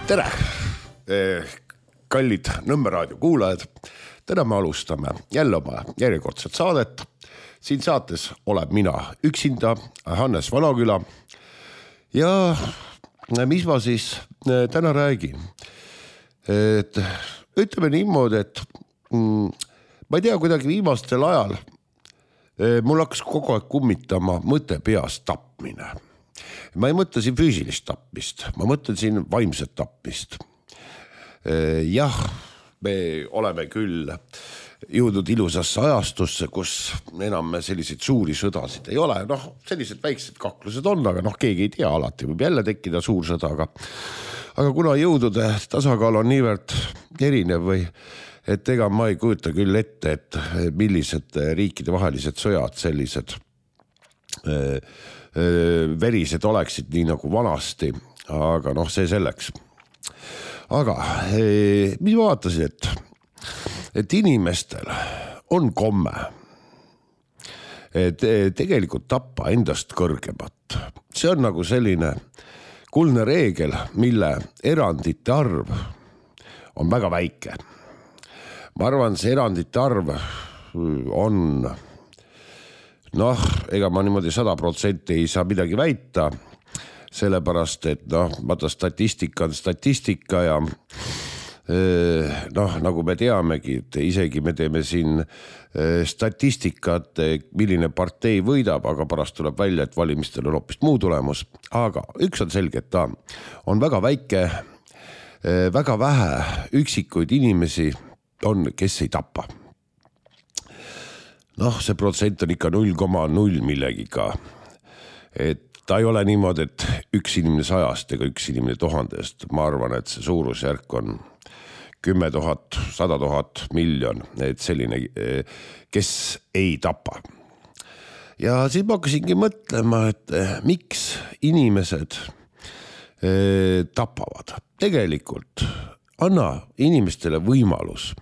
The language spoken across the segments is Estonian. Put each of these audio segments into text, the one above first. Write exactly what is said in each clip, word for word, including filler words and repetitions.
Tere, kallid Nõmme raadio kuulajad. Täna me alustame jälle oma järjekordset saadet. Siin saates oleb mina üksinda, Hannes Vanaküla. Ja mis ma siis täna räägin? Et ütleme niimoodi, et mm, ma ei tea, kuidagi viimastel ajal mul hakkas kogu aeg kummitama mõte peas tapmine. Ma ei mõtle siin füüsilist tapmist, ma mõtlen siin vaimset tapmist. Jah, me oleme küll jõudnud ilusasse ajastusse, kus enam selliseid suuri sõdasid ei ole. Noh, sellised väiksed kaklused on, aga noh, keegi ei tea, alati võib jälle tekkida suur sõda. Aga, aga kuna jõudude tasakaal on niivõrd erinev või et ega ma ei kujuta küll ette, et millised riikide vahelised sõjad sellised verised oleksid nii nagu vanasti, aga noh, see selleks. Aga mis vaatasin, et, et inimestel on komme et tegelikult tappa endast kõrgemat. See on nagu selline kuldne reegel, mille erandite arv on väga väike. Ma arvan, see erandite arv on noh, ega ma niimoodi sada protsenti ei saa midagi väita, sellepärast, et noh, vaata statistika on statistika ja noh, nagu me teamegi, et isegi me teeme siin statistikat, milline partei võidab, aga pärast tuleb välja, et valimistel on hoopis muu tulemus. Aga üks on selge, et ta on väga väike, väga vähe üksikuid inimesi on, kes ei tapa. Noh, see protsent on ikka null koma null millegiga. Et ta ei ole niimoodi, et üks inimene sajast ega üks inimene tuhandest. Ma arvan, et see suurusjärk on kümme tuhat, sada tuhat miljon, et selline, kes ei tapa. Ja siis ma hakkasingi mõtlema, et miks inimesed tapavad. Tegelikult anna inimestele võimalus,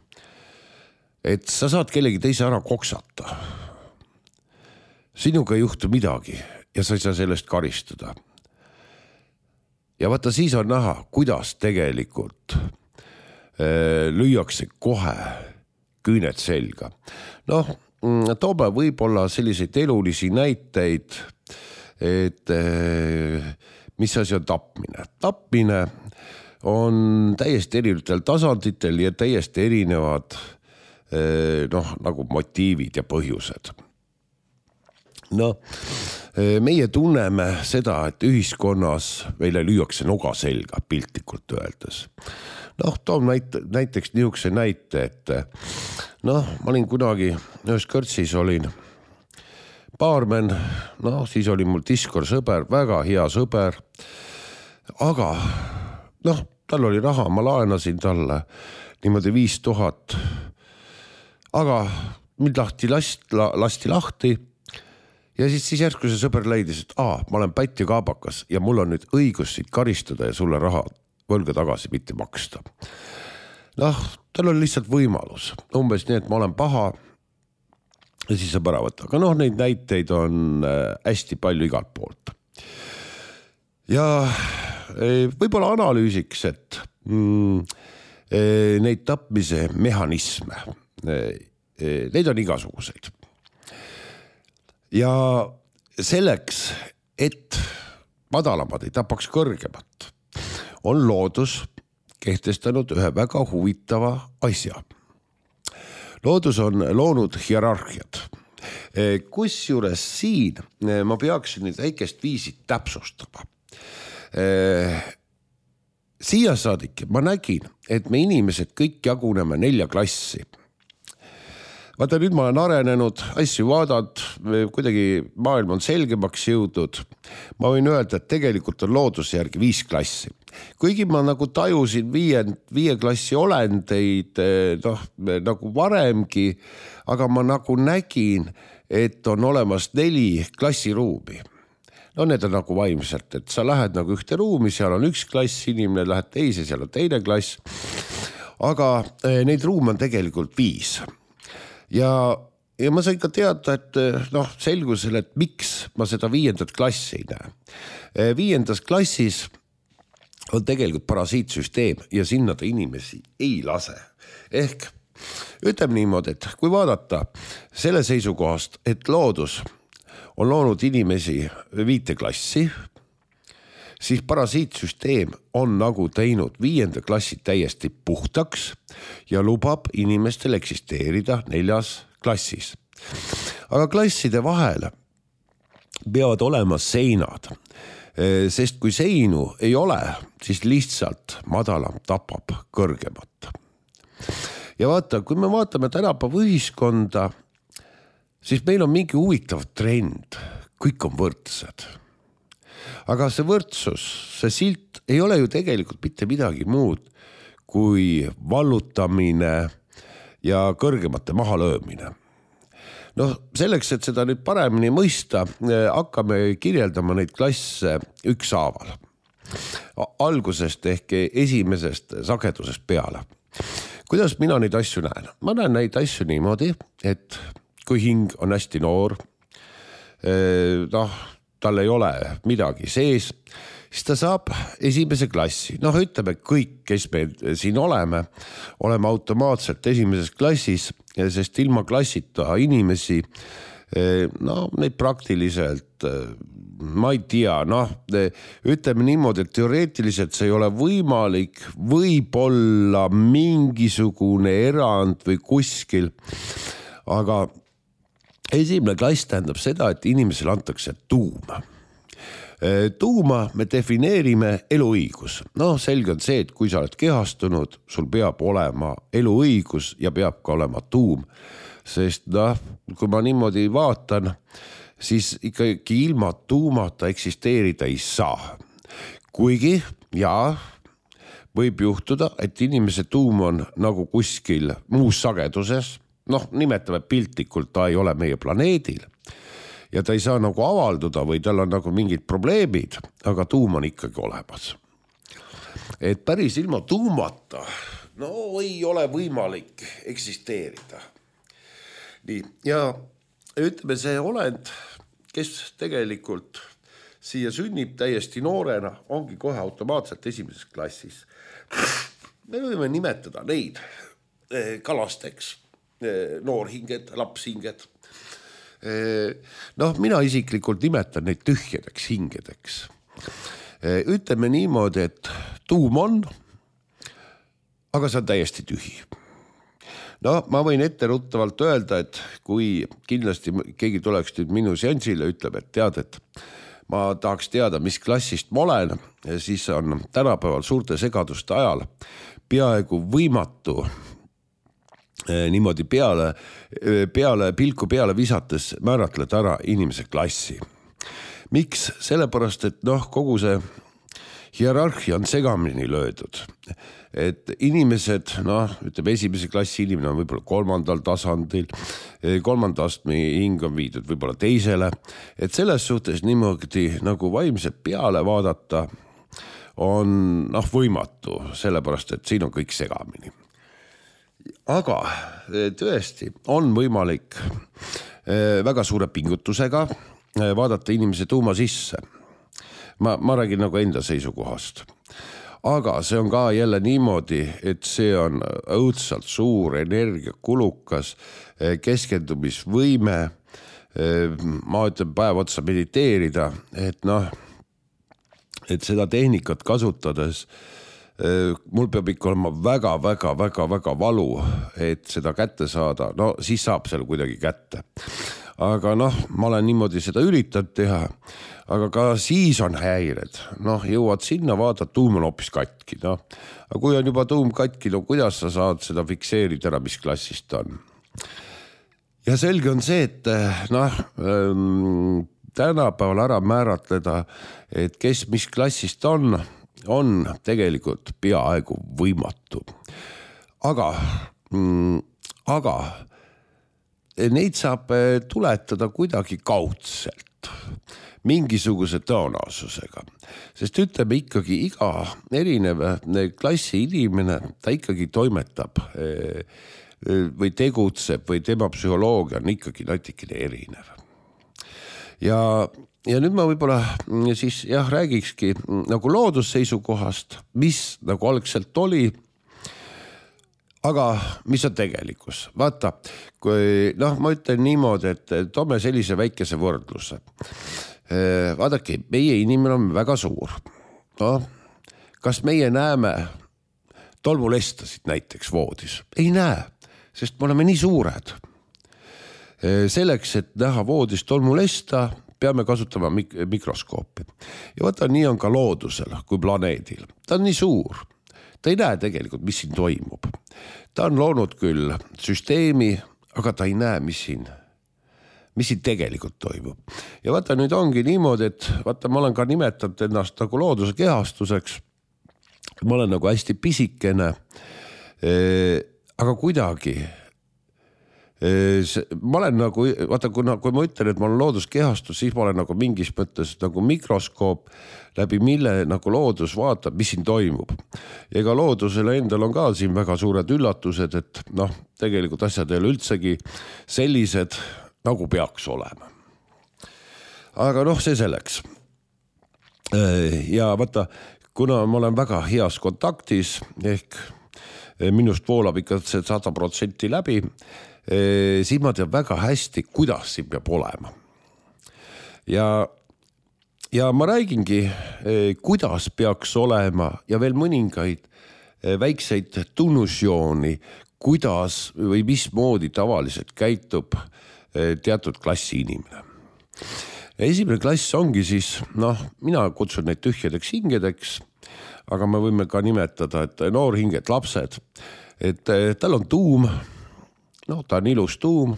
et sa saad kellegi teise ära koksata. Sinuga ei juhtu midagi ja sa ei saa sellest karistada. Ja vaata, siis on näha, kuidas tegelikult äh, lüüakse kohe küüned selga. Noh, toome võib-olla selliseid elulisi näiteid, et äh, mis asi on tapmine. Tapmine on täiesti erinevatel tasanditel ja täiesti erinevad noh, nagu motiivid ja põhjused. No, meie tunneme seda, et ühiskonnas meile lüüakse noga selga piltlikult öeldes. Noh, toon näite, näiteks niisuguse näite, et noh, ma olin kunagi ühes kõrtsis olin baarmen, noh, siis oli mul diskor sõber, väga hea sõber, aga noh, tal oli raha, ma laenasin talle niimoodi viis tuhat. Aga mind lahti last, lasti lahti ja siis, siis järsku see sõber leidis, et aa, ma olen pätt ja kaabakas ja mul on nüüd õigus siit karistada ja sulle raha võlga tagasi mitte maksta. Noh, tal on lihtsalt võimalus. Umbes nii, et ma olen paha ja siis saab ära võtta. Aga noh, neid näiteid on hästi palju igalt poolt. Ja võib-olla analüüsiks, et mm, neid tapmise mehhanisme neid on igasuguseid. Ja selleks, et madalamad ei tapaks kõrgemat, on loodus kehtestanud ühe väga huvitava asja. Loodus on loonud hierarhiad. Kusjuures siin ma peaksin nüüd väikest viisi täpsustama. Siia saadik ma nägin, et me inimesed kõik jaguneme nelja klassi. Vaata, nüüd ma olen arenenud, asju vaadanud, kuidagi maailm on selgemaks jõudnud. Ma võin öelda, et tegelikult on looduse järgi viis klassi. Kuigi ma nagu tajusin viie, viie klassi olendeid noh, nagu varemgi, aga ma nagu nägin, et on olemas neli klassiruumi. No need on nagu vaimselt, et sa lähed nagu ühte ruumi, seal on üks klass, inimene lähed teise, seal on teine klass. Aga neid ruume on tegelikult viis. Ja, ja ma sain ka teada, et noh, selgusel, et miks ma seda viiendat klassi ei näe. Viiendas klassis on tegelikult parasiitsüsteem ja sinna ta inimesi ei lase. Ehk ütleme niimoodi, et kui vaadata selle seisukohast, et loodus on loonud inimesi viite klassi, siis parasiitsüsteem on nagu teinud viienda klassi täiesti puhtaks ja lubab inimestel eksisteerida neljas klassis. Aga klasside vahel peavad olema seinad, sest kui seinu ei ole, siis lihtsalt madalam tapab kõrgemat. Ja vaata, kui me vaatame tänapäeva ühiskonda, siis meil on mingi huvitav trend, kõik on võrdsed. Aga see võrdsus, see silt ei ole ju tegelikult mitte midagi muud kui vallutamine ja kõrgemate mahalöömine. No selleks, et seda nüüd paremini mõista, hakkame kirjeldama neid klasse ükshaaval. Algusest ehk esimesest sagedusest peale. Kuidas mina neid asju näen? Ma näen neid asju niimoodi, et kui hing on hästi noor, noh, tal ei ole midagi sees, siis ta saab esimese klassi. Noh, ütleme kõik, kes me siin oleme, oleme automaatselt esimeses klassis, sest ilma klassita inimesi, no neid praktiliselt, ma ei tea, noh, ütleme niimoodi, et teoreetiliselt see ei ole võimalik, võib-olla mingisugune erand või kuskil, aga esimene klass tähendab seda, et inimesele antakse tuuma. Tuuma me defineerime eluõigus. No selge on see, et kui sa oled kehastunud, sul peab olema eluõigus ja peab ka olema tuum. Sest noh, kui ma niimoodi vaatan, siis ikkagi ilma tuumata eksisteerida ei saa. Kuigi, jaa, võib juhtuda, et inimese tuum on nagu kuskil muus sageduses, noh, nimetame piltlikult, ta ei ole meie planeedil ja ta ei saa nagu avalduda või tal on nagu mingid probleemid, aga tuum on ikkagi olemas. Et päris ilma tuumata, no ei ole võimalik eksisteerida. Nii, ja ütleme see olend, kes tegelikult siia sünnib täiesti noorena, ongi kohe automaatselt esimeses klassis. Me võime nimetada neid kalasteks, noorhinged, lapshinged. Noh, mina isiklikult nimetan neid tühjedeks hingedeks. Ütleme niimoodi, et tuum on, aga see on täiesti tühi. No ma võin etteruttavalt öelda, et kui kindlasti keegi tuleks nüüd minu seansile, ütleb, et tead, et ma tahaks teada, mis klassist ma olen, siis on tänapäeval suurte segaduste ajal peaaegu võimatu niimoodi peale, peale, pilku peale visates määratleda ära inimese klassi. Miks? Sellepärast, et noh, kogu see hierarhia on segamini löödud. Et inimesed, noh, ütleme esimese klassi inimene on võib-olla kolmandal tasandil, kolmanda astme hing on viidud võib-olla teisele. Et selles suhtes niimoodi nagu vaimselt peale vaadata on noh, võimatu, sellepärast, et siin on kõik segamini. Aga tõesti on võimalik väga suure pingutusega vaadata inimese tuuma sisse. Ma, ma räägin nagu enda seisukohast. Aga see on ka jälle niimoodi, et see on õudselt suur energiakulukas keskendumisvõime. Ma ütlen päev otsa mediteerida, et noh, et seda tehnikat kasutades mul peab ikka olema väga, väga, väga, väga valu, et seda kätte saada. No siis saab seal kuidagi kätte. Aga noh, ma olen niimoodi seda üritanud teha, aga ka siis on häired. Noh, jõuad sinna, vaadad, tuum on hoopis katki. No. Aga kui on juba tuum katki, no kuidas sa saad seda fikseerida ära, mis klassist on? Ja selge on see, et noh, tänapäeval ära määratleda, et kes mis klassist on, on tegelikult peaaegu võimatu. Aga, mm, aga neid saab tuletada kuidagi kaudselt, mingisuguse tõenäosusega. Sest ütleme ikkagi iga erinev klassi inimene, ta ikkagi toimetab või tegutseb või tema psühholoogia on ikkagi natikene erinev. Ja ja nüüd ma võib-olla siis jah, räägikski nagu loodusseisukohast, mis nagu algselt oli, aga mis on tegelikkus. Vaata, kui noh, ma ütlen niimoodi, et toome sellise väikese võrdluse. Vaadake, meie inimene on väga suur. No, kas meie näeme tolmulestasid näiteks voodis? Ei näe, sest me oleme nii suured. Selleks, et näha voodis tolmulesta, peame kasutama mik- mikroskoopi. Ja vaata, nii on ka loodusel kui planeedil. Ta on nii suur. Ta ei näe tegelikult, mis siin toimub. Ta on loonud küll süsteemi, aga ta ei näe, mis siin, mis siin tegelikult toimub. Ja vaata, nüüd ongi niimoodi, et vaata, ma olen ka nimetanud ennast nagu looduse kehastuseks. Ma olen nagu hästi pisikene, aga kuidagi ma olen nagu, vaata, kui, kui ma ütlen, et ma olen looduskehastus, siis ma olen nagu mingis mõttes nagu mikroskoop, läbi mille nagu loodus vaatab, mis siin toimub. Ja ega loodusele endal on ka siin väga suured üllatused, et noh, tegelikult asjad ei ole üldsegi sellised, nagu peaks olema. Aga noh, see selleks. Ja vaata, kuna ma olen väga heas kontaktis, ehk minust voolab ikka see sada protsenti läbi, siis ma tean väga hästi, kuidas siin peab olema. Ja, ja ma räägingi, kuidas peaks olema ja veel mõningaid väikseid tunnusjooni, kuidas või mismoodi tavaliselt käitub teatud klassi inimene. Esimene klass ongi siis, noh, mina kutsun neid tühjadeks hingedeks, aga me võime ka nimetada, et noorhinged, lapsed, et tal on tuum, no ta on ilus tuum.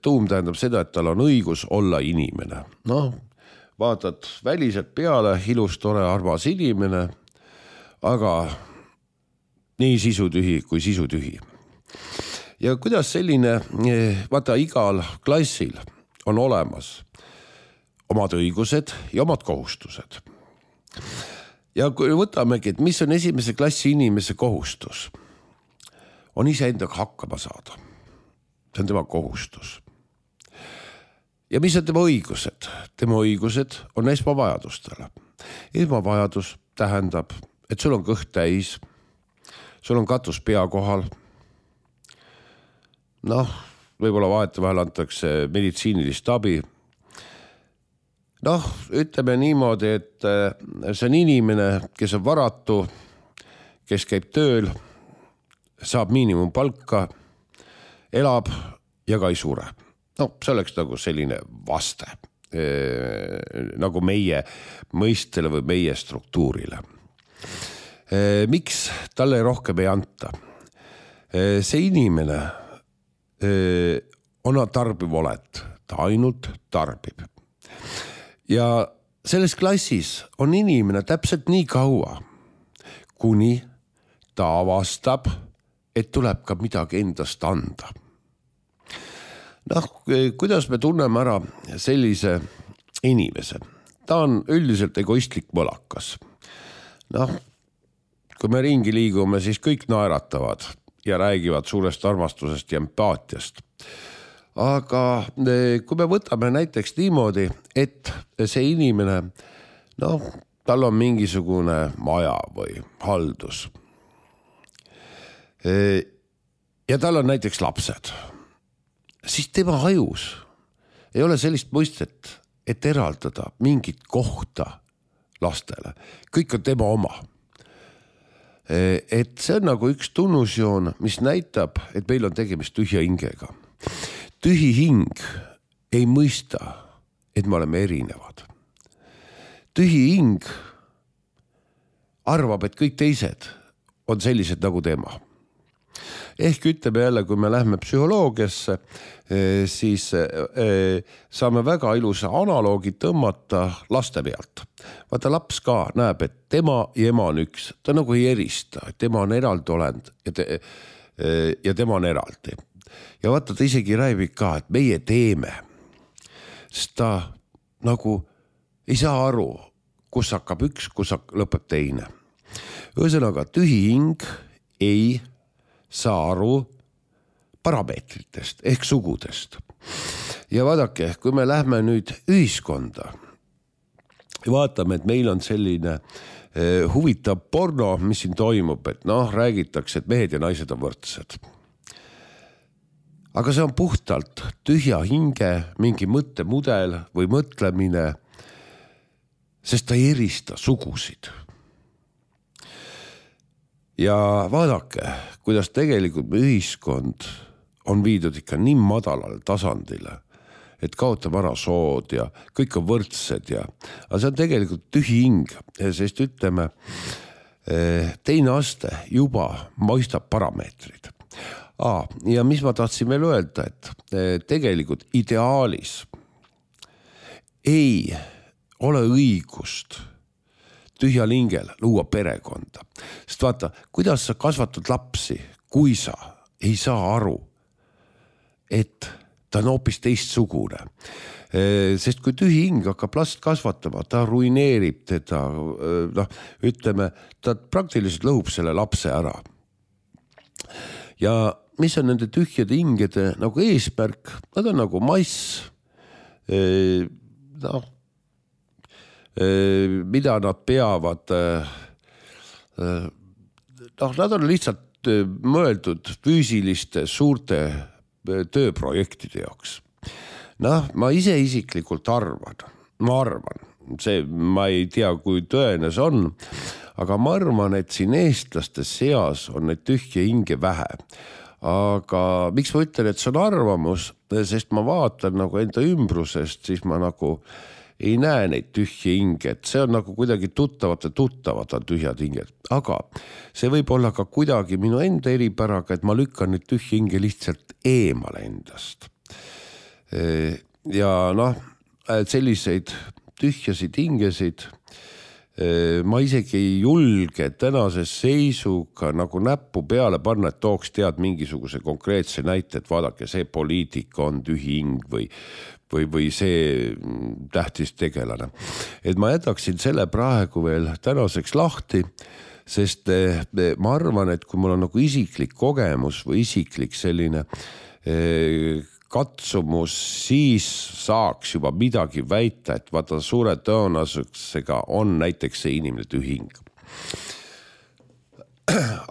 Tuum tähendab seda, et tal on õigus olla inimene. No, vaatad väliselt peale, ilus, tore, armas inimene, aga nii sisutühi kui sisutühi. Ja kuidas selline, vaata, igal klassil on olemas omad õigused ja omad kohustused. Ja kui võtamegi, et mis on esimese klassi inimese kohustus, on iseendaga hakkama saada. See on tema kohustus. Ja mis on tema õigused? Tema õigused on esmavajadustele. Esmavajadus tähendab, et sul on kõht täis, sul on katus pea kohal. Noh, võib-olla vahetevahel antakse meditsiinilist abi. Noh, ütleme niimoodi, et see on inimene, kes on varatu, kes käib tööl, saab miinimumpalka, elab ja ka ei sure. No, see oleks nagu selline vaste, nagu meie mõistele või meie struktuurile. Miks talle rohkem ei anta? See inimene on tarbiv olet, ta ainult tarbib. Ja selles klassis on inimene täpselt nii kaua, kuni ta avastab, et tuleb ka midagi endast anda. Noh, kuidas me tunneme ära sellise inimese? Ta on üldiselt egoistlik mõlakas. Noh, kui me ringi liigume, siis kõik naeratavad ja räägivad suurest armastusest ja empaatiast. Aga kui me võtame näiteks niimoodi, et see inimene, noh, tal on mingisugune maja või haldus. Ja tal on näiteks lapsed, siis tema hajus ei ole sellist mõistet, et eraldada mingit kohta lastele. Kõik on tema oma. Et see on nagu üks tunnusjoon, mis näitab, et meil on tegemist tühja hingega. Tühi hing ei mõista, et me oleme erinevad. Tühi hing arvab, et kõik teised on sellised nagu tema. Ehk ütleme jälle, kui me lähme psühholoogiasse, siis saame väga ilusa analoogi tõmmata laste pealt. Vaata, laps ka näeb, et tema ja ema on üks. Ta nagu ei erista, et tema on eraldi olend ja, te, ja tema on eraldi. Ja vaata, ta isegi rääbib ka, et meie teeme. Sest ta nagu ei saa aru, kus hakkab üks, kus lõpeb teine. Ühesõnaga, tühi hing ei saa aru, parameetritest ehk sugudest. Ja vaadake, kui me lähme nüüd ühiskonda ja vaatame, et meil on selline eh, huvitav porno, mis siin toimub, et noh, räägitakse, et mehed ja naised on võrdsed. Aga see on puhtalt tühja hinge, mingi mõttemudel või mõtlemine, sest ta ei erista sugusid. Ja vaadake, kuidas tegelikult me ühiskond on viidud ikka nii madalale tasandile, et kaotame ära sood ja kõik on võrdsed ja, aga see on tegelikult tühi hing, sest ütleme, teine aste juba mõistab parameetrid. Aa, ja mis ma tahtsin veel öelda, et tegelikult ideaalis ei ole õigust tühjal hingel luua perekonda. Sest vaata, kuidas sa kasvatad lapsi, kui sa ei saa aru, et ta on hoopis teistsugune. Sest kui tühi hing hakkab last kasvatama, ta ruineerib teda, noh, ütleme, ta praktiliselt lõhub selle lapse ära. Ja mis on nende tühjade hingede nagu eesmärk? Nad on nagu mass, noh, mida nad peavad, noh, nad on lihtsalt mõeldud füüsiliste suurte tööprojektide jaoks. Noh, ma ise isiklikult arvan, ma arvan, see, ma ei tea, kui tõene see on, aga ma arvan, et siin eestlaste seas on neid tühje hinge vähe. Aga miks ma ütlen, et see on arvamus, sest ma vaatan nagu enda ümbrusest, siis ma nagu ei näe neid tühje hinge, et see on nagu kuidagi tuttavad ja tuttavad on tühjad hinged. Aga see võib olla ka kuidagi minu enda eripäraga, et ma lükkan neid tühje hinge lihtsalt eemale endast. Ja noh, selliseid tühjasid hingesid ma isegi ei julge tänase seisuga nagu näppu peale panna, et tooks tead mingisuguse konkreetse näite, et vaadake, see poliitika on tühi hing või või, või see tähtis tegelane. Et ma jätaksin selle praegu veel tänaseks lahti, sest ma arvan, et kui mul on nagu isiklik kogemus või isiklik selline katsumus, siis saaks juba midagi väita, et vaata suure tõenäosusega on näiteks see inimene tühi hing.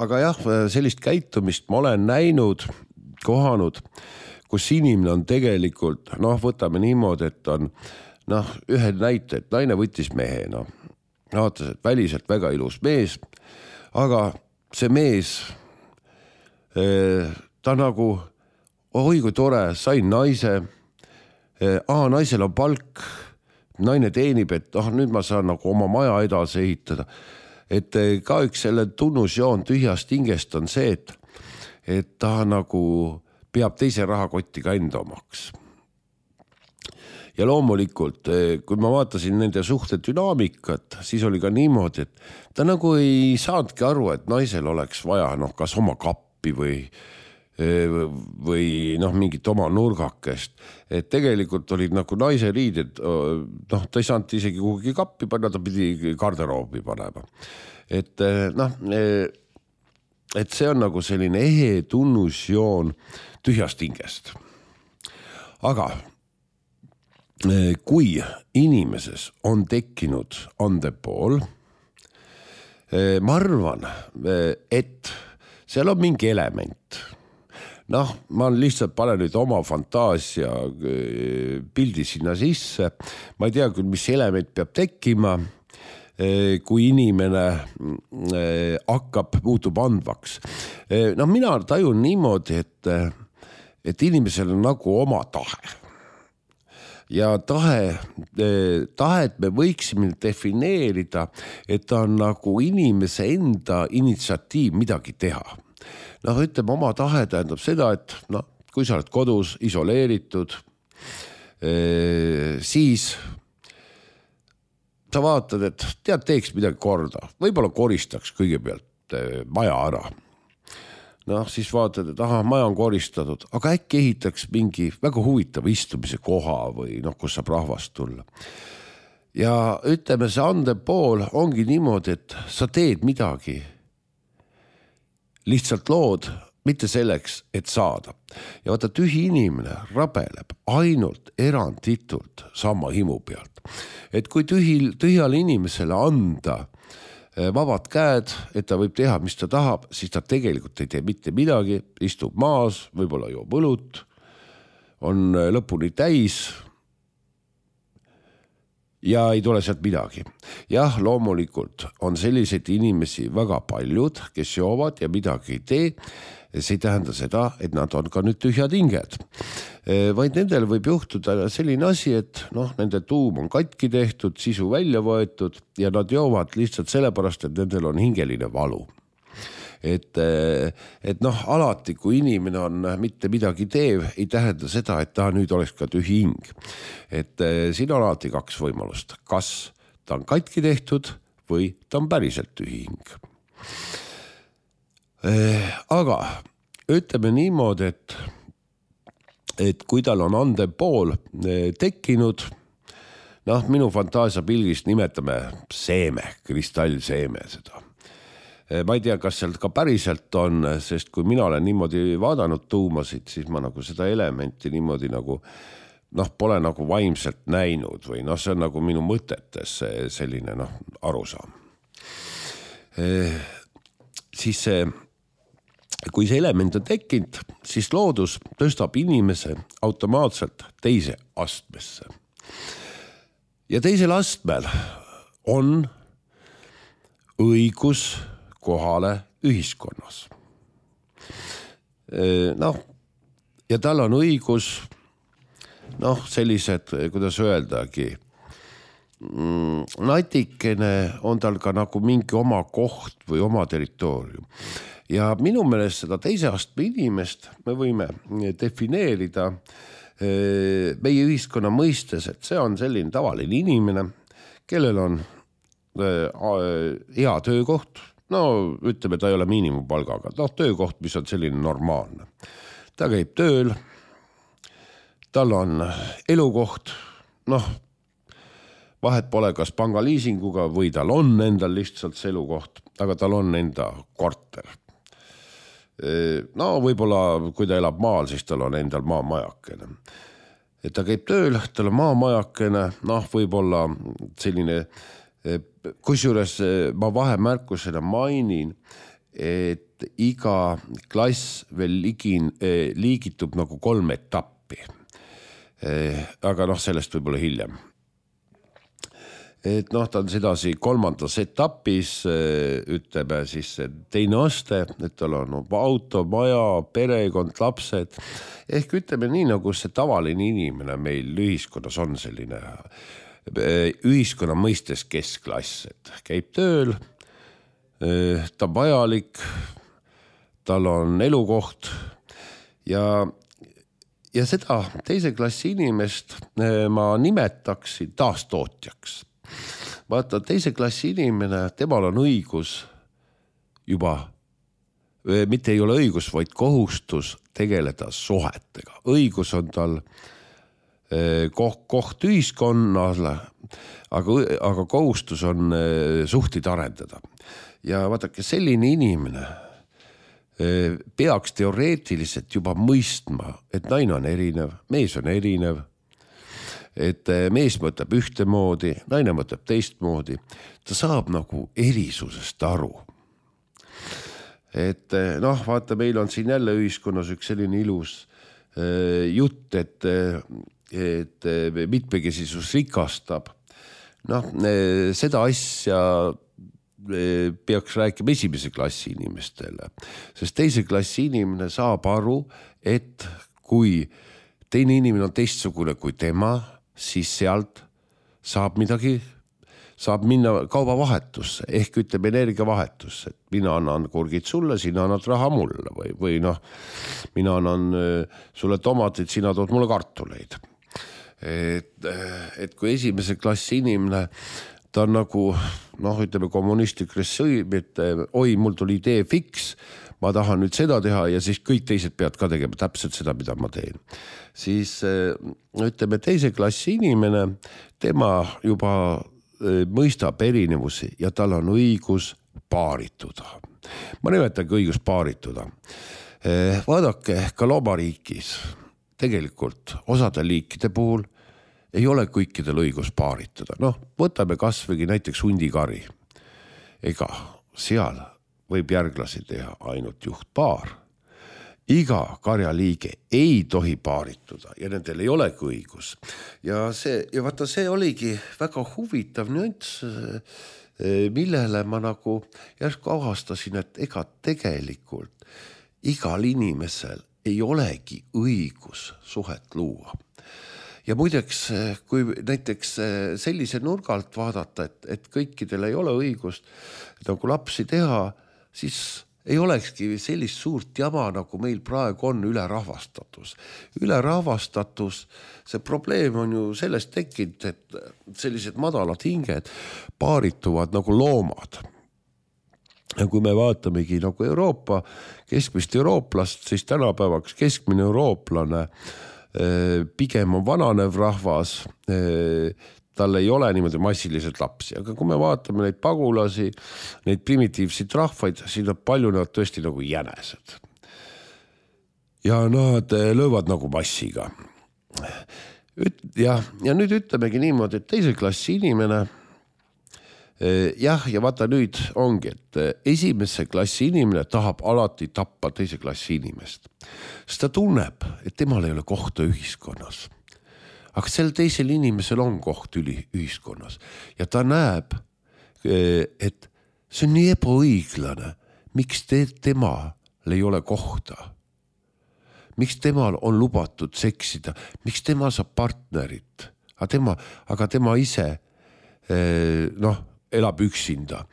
Aga jah, sellist käitumist ma olen näinud, kohanud, kus inimene on tegelikult, noh, võtame niimoodi, et on, noh, ühe näite, et naine võttis mehe, noh, vaatas, et väliselt väga ilus mees, aga see mees, ta nagu, oi kui tore, sain naise, aa, naisel on palk, naine teenib, et oh, nüüd ma saan nagu oma maja edasi ehitada. Et ka üks selle tunnusjoon tühjast hingest on see, et, et ta nagu peab teise rahakotti ka enda omaks. Ja loomulikult, kui ma vaatasin nende suhte dünaamikat, siis oli ka niimoodi, et ta nagu ei saadki aru, et naisel oleks vaja, noh, kas oma kappi või, või noh, mingit oma nurgakest. Et tegelikult olid nagu naise riided, noh, ta ei saanud isegi kuhugi kappi panna, ta pidi garderoobi panema. Et noh, et see on nagu selline ehe tunnusjoon tühjast hingest. Aga kui inimeses on tekkinud andepool, ma arvan, et seal on mingi element. Noh, ma lihtsalt panen nüüd oma fantaasia pildi sinna sisse. Ma ei tea küll, mis element peab tekkima, kui inimene hakkab, muutub andvaks. No mina tajun niimoodi, et et inimesel on nagu oma tahe. Ja tahe, tahet me võiksime defineerida, et ta on nagu inimese enda initsiatiiv midagi teha. Noh, ütleme, oma tahe tähendab seda, et noh, kui sa oled kodus isoleeritud, siis sa vaatad, et tead, teeks midagi korda. Võib-olla koristaks kõigepealt maja ära. Noh, siis vaatad, et aha, maja on koristatud, aga äkki ehitaks mingi väga huvitav istumise koha või noh, kus saab rahvast tulla. Ja ütleme, see andepool ongi niimoodi, et sa teed midagi. Lihtsalt lood mitte selleks, et saada. Ja vaata, tühi inimene rabeleb ainult eranditult sama himu pealt. Et kui tühil, tühjale inimesele anda vabad käed, et ta võib teha, mis ta tahab, siis ta tegelikult ei tee mitte midagi, istub maas, võib-olla joob õlut, on lõpuni täis ja ei tule sealt midagi. Jah, loomulikult on selliseid inimesi väga paljud, kes joovad ja midagi ei tee. See ei tähenda seda, et nad on ka nüüd tühjad hinged. Vaid nendel võib juhtuda selline asi, et noh, nende tuum on katki tehtud, sisu välja võetud ja nad joovad lihtsalt sellepärast, et nendel on hingeline valu. Et, et noh, alati kui inimene on mitte midagi teev, ei tähenda seda, et ta nüüd oleks ka tühi hing. Et siin on alati kaks võimalust. Kas ta on katki tehtud või ta on päriselt tühi hing. Aga ütleme niimoodi, et, et kui tal on andev pool tekkinud, noh, minu fantaasia pilgist nimetame seeme, kristallseeme seda. Ma ei tea, kas sealt ka päriselt on, sest kui mina olen niimoodi vaadanud tuumasid, siis ma nagu seda elementi niimoodi nagu, noh, pole nagu vaimselt näinud või noh, see on nagu minu mõtetes selline noh, arusaam. Siis see, kui see element on tekkinud, siis loodus tõstab inimese automaatselt teise astmesse. Ja teisel astmel on õigus kohale ühiskonnas. Noh, ja tal on õigus, noh, sellised, kuidas öeldagi, natikene on tal ka nagu mingi oma koht või oma territoorium. Ja minu meelest seda teise astme inimest me võime defineerida meie ühiskonna mõistes, et see on selline tavaline inimene, kellel on hea töökoht, no ütleme, ta ei ole miinimumpalgaga, noh töökoht, mis on selline normaalne. Ta käib tööl, tal on elukoht, noh, vahet pole kas pangaliisinguga või tal on endal lihtsalt see elukoht, aga tal on enda korter. No võib-olla, kui ta elab maal, siis tal on endal maamajakene. Et ta käib tööl, tal on maamajakene, noh võib-olla selline, kusjuures ma vahemärkusena mainin, et iga klass veel ligin, liigitub nagu kolm etappi. Aga noh, sellest võib-olla hiljem. Et noh, ta on sedasi kolmandas etapis, ütleme siis teine aste, et tal on auto, maja, perekond, lapsed. Ehk ütleme nii, nagu see tavaline inimene meil ühiskonnas on selline ühiskonna mõistes keskklass, et käib tööl, ta on vajalik, tal on elukoht ja, ja seda teise klassi inimest ma nimetaksin taastootjaks. Vaata, teise klassi inimene, temal on õigus juba, mitte ei ole õigus, vaid kohustus tegeleda suhetega. Õigus on tal koht, koht ühiskonnale, aga, aga kohustus on suhteid arendada. Ja vaadake, selline inimene peaks teoreetiliselt juba mõistma, et naine on erinev, mees on erinev, et mees mõtleb ühtemoodi, naine mõtleb teistmoodi, ta saab nagu erisusest aru. Et noh, vaata, meil on siin jälle ühiskonnas üks selline ilus jutt, et, et mitmekesisus rikastab. Noh, seda asja peaks rääkima esimese klassi inimestele, sest teise klassi inimene saab aru, et kui teine inimene on teistsugune kui tema, siis sealt saab midagi, saab minna kaubavahetusse, ehk ütleb energiavahetusse, et mina annan kurgid sulle, sina annad raha mulle või, või noh, mina annan sulle tomatid, sina tood mulle kartuleid. Et, et kui esimese klassi inimene, ta on nagu, noh, ütleme kommunistlik režiim, et oi, mul tuli idee fiks, ma tahan nüüd seda teha ja siis kõik teised peavad ka tegema täpselt seda, mida ma teen. Siis ütleme teise klassi inimene, tema juba mõistab erinevusi ja tal on õigus paarituda. Ma nimetangi õigus paarituda. Vaadake ka loomariigis tegelikult osade liikide puhul ei ole kõikidel õigus paaritada. Noh, võtame kasvõi näiteks hundikari. Ega seal võib järglasi teha ainult juhtpaar. Iga karjaliige ei tohi paarituda ja nendel ei olegi õigus. Ja, see, ja vaata, see oligi väga huvitav nüanss, millele ma nagu järsku avastasin, et ega tegelikult igal inimesel ei olegi õigus suhet luua. Ja muideks, kui näiteks sellise nurgalt vaadata, et, et kõikidel ei ole õigust nagu lapsi teha, siis ei olekski sellist suurt jama, nagu meil praegu on ülerahvastatus. Ülerahvastatus, see probleem on ju sellest tekkinud, et sellised madalad hinged paarituvad nagu loomad. Ja kui me vaatamegi nagu Euroopa, keskmist eurooplast, siis tänapäevaks keskmine eurooplane pigem on vananev rahvas, tal ei ole niimoodi massiliselt lapsi, aga kui me vaatame neid pagulasi, neid primitiivseid rahvaid, siis nad paljunevad tõesti nagu jänesed. Ja nad löövad nagu massiga. Ja, ja nüüd ütlemegi niimoodi, et teise klassi inimene, jah, ja vaata nüüd ongi, et esimese klassi inimene tahab alati tappa teise klassi inimest. Sest ta tunneb, et temal ei ole kohta ühiskonnas. Aga sel teisel inimesel on koht üli ühiskonnas. Ja ta näeb, et see on nii ebaõiglane. Miks te, temal ei ole kohta? Miks temal on lubatud seksida? Miks tema saab partnerit? Aga tema, aga tema ise, noh, elab üksinda.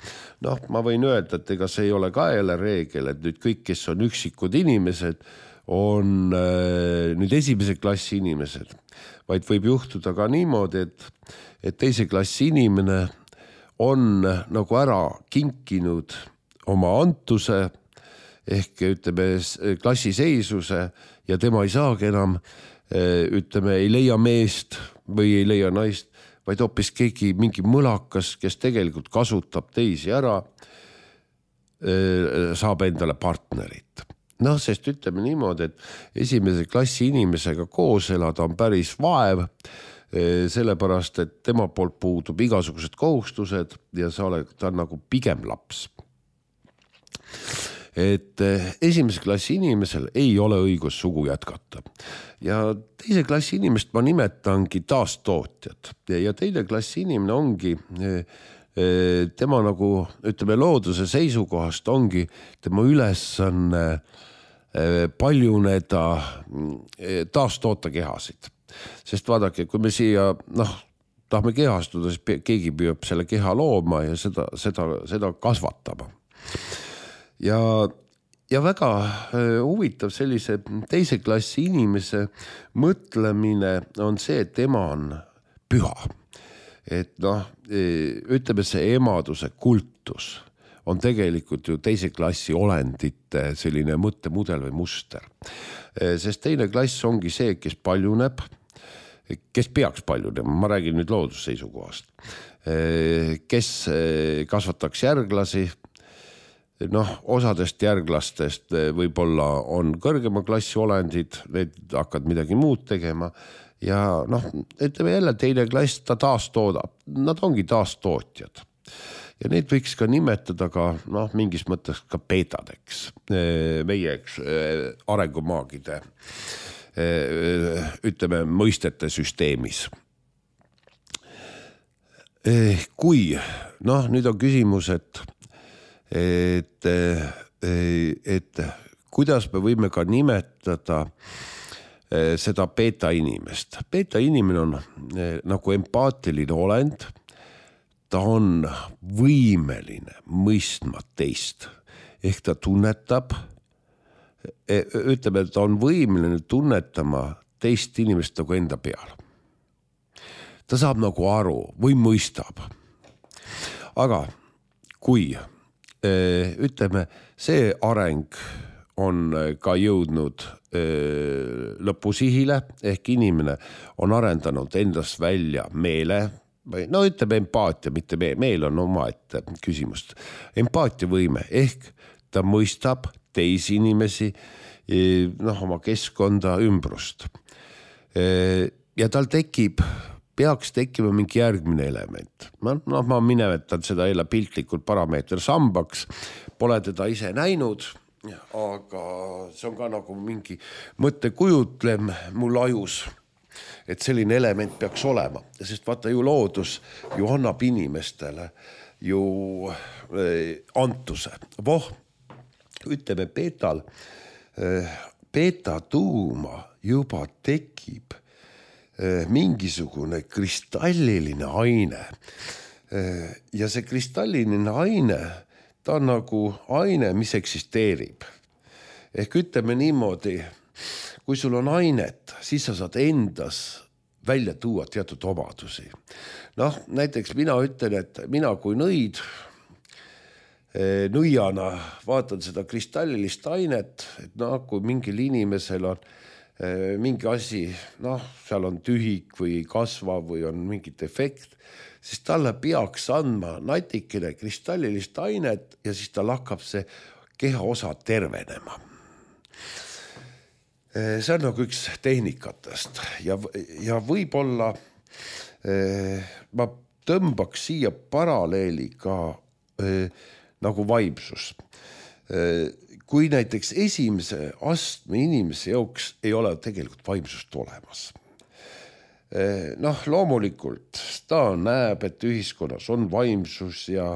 Noh, ma võin öelda, et ega see ei ole ka jälle reegel, et nüüd kõik, kes on üksikud inimesed, on äh, nüüd esimese klassi inimesed, vaid võib juhtuda ka niimoodi, et, et teise klassi inimene on nagu ära kinkinud oma antuse ehk ütleme klassiseisuse ja tema ei saagi enam, ütleme, ei leia meest või ei leia naist, vaid hoopis keegi mingi mõlakas, kes tegelikult kasutab teisi ära, saab endale partnerit. Noh, sest ütleme niimoodi, et esimese klassi inimesega koos elada on päris vaev, sellepärast, et tema poolt puudub igasugused kohustused ja sa oled ta nagu pigem laps. Et esimese klassi inimesel ei ole õigus sugu jätkata. Ja teise klassi inimest ma nimetangi taastootjad. Ja teine klassi inimene ongi, tema nagu, ütleme, looduse seisukohast ongi tema ülesanne paljuneda taastoota kehasid. Sest vaadake, kui me siia, noh, tahame kehastuda, siis keegi püüab selle keha looma ja seda, seda, seda kasvatama. Ja, ja väga huvitav sellise teise klassi inimese mõtlemine on see, et tema on püha. Et noh, ütleme see emaduse kultus on tegelikult ju teise klassi olendite selline mõttemudel või muster. Sest teine klass ongi see, kes paljuneb, kes peaks paljunema, ma räägin nüüd loodusseisukohast, kes kasvataks järglasi. Noh, osadest järglastest võib-olla on kõrgema klassi olendid, need hakkad midagi muud tegema ja noh, ütleme jälle teine klass, ta taastoodab, nad ongi taastootjad. Ja neid võiks ka nimetada ka, noh, mingis mõttes ka beetadeks, meie arengumaagide, ütleme, mõistete süsteemis. Kui, noh, nüüd on küsimus, et Et, et kuidas me võime ka nimetada seda beta inimest. Beta inimene on nagu empaatiline olend, ta on võimeline mõistma teist, ehk ta tunnetab, ütleme, et ta on võimeline tunnetama teist inimest nagu enda peal. Ta saab nagu aru või mõistab. Aga kui ütleme, see areng on ka jõudnud lõpusihile, ehk inimene on arendanud endast välja meele, no ütleme empaatia, mitte meel, meel on omaette küsimust. Empaatiavõime ehk ta mõistab teisi inimesi noh, oma keskkonda, ümbrust. Ja tal tekib, peaks tekkima mingi järgmine element. Ma, noh, ma minevetan seda jälle piltlikult parameeter sambaks, pole teda ise näinud, aga see on ka nagu mingi mõttekujutlem mul ajus, et selline element peaks olema, sest vaata ju loodus ju annab inimestele ju eh, antuse. Voh, ütleme beetal, eh, beeta tuuma juba tekib eh, mingisugune kristalliline aine. Eh, ja see kristalliline aine, ta on nagu aine, mis eksisteerib. Ehk ütleme niimoodi, kui sul on ainet, siis sa saad endas välja tuua teatud omadusi. Noh, näiteks mina ütlen, et mina kui nõid, nõiana vaatan seda kristallilist ainet, et noh, kui mingil inimesel on mingi asi, noh, seal on tühik või kasva või on mingi defekt, siis talle peaks andma natikene kristallilist ainet ja siis tal hakkab see kehaosa tervenema. See on nagu üks tehnikatest ja, ja võib-olla eh, ma tõmbaks siia paralleeli ka eh, nagu vaimsus. Eh, kui näiteks esimese astme inimese jooks ei ole tegelikult vaimsust olemas. Eh, noh, loomulikult ta näeb, et ühiskonnas on vaimsus ja,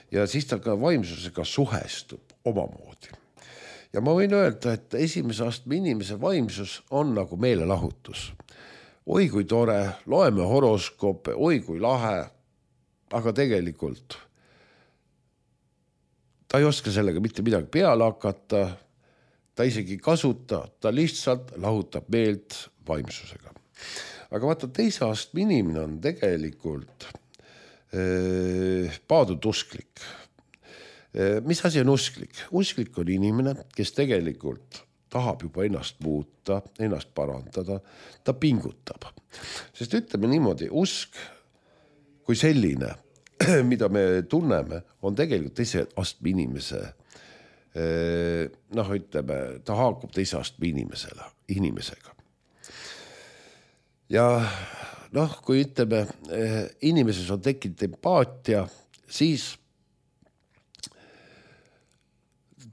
ja siis ta ka vaimsusega suhestub omamoodi. Ja ma võin öelda, et esimese astme inimese vaimsus on nagu meelelahutus. Oi kui tore, loeme horoskoope, oi kui lahe, aga tegelikult ta ei oska sellega mitte midagi peale hakata, ta isegi kasuta, ta lihtsalt lahutab meelt vaimsusega. Aga vaata, teise astme inimene on tegelikult eh, paadud usklik. Mis asi on usklik? Usklik on inimene, kes tegelikult tahab juba ennast muuta, ennast parandada, ta pingutab. Sest ütleme niimoodi, usk kui selline, mida me tunneme, on tegelikult teise astme inimese, noh, ütleme, ta haakub teise astme inimesele, inimesega. Ja noh, kui ütleme, inimeses on tekkinud empaatia, siis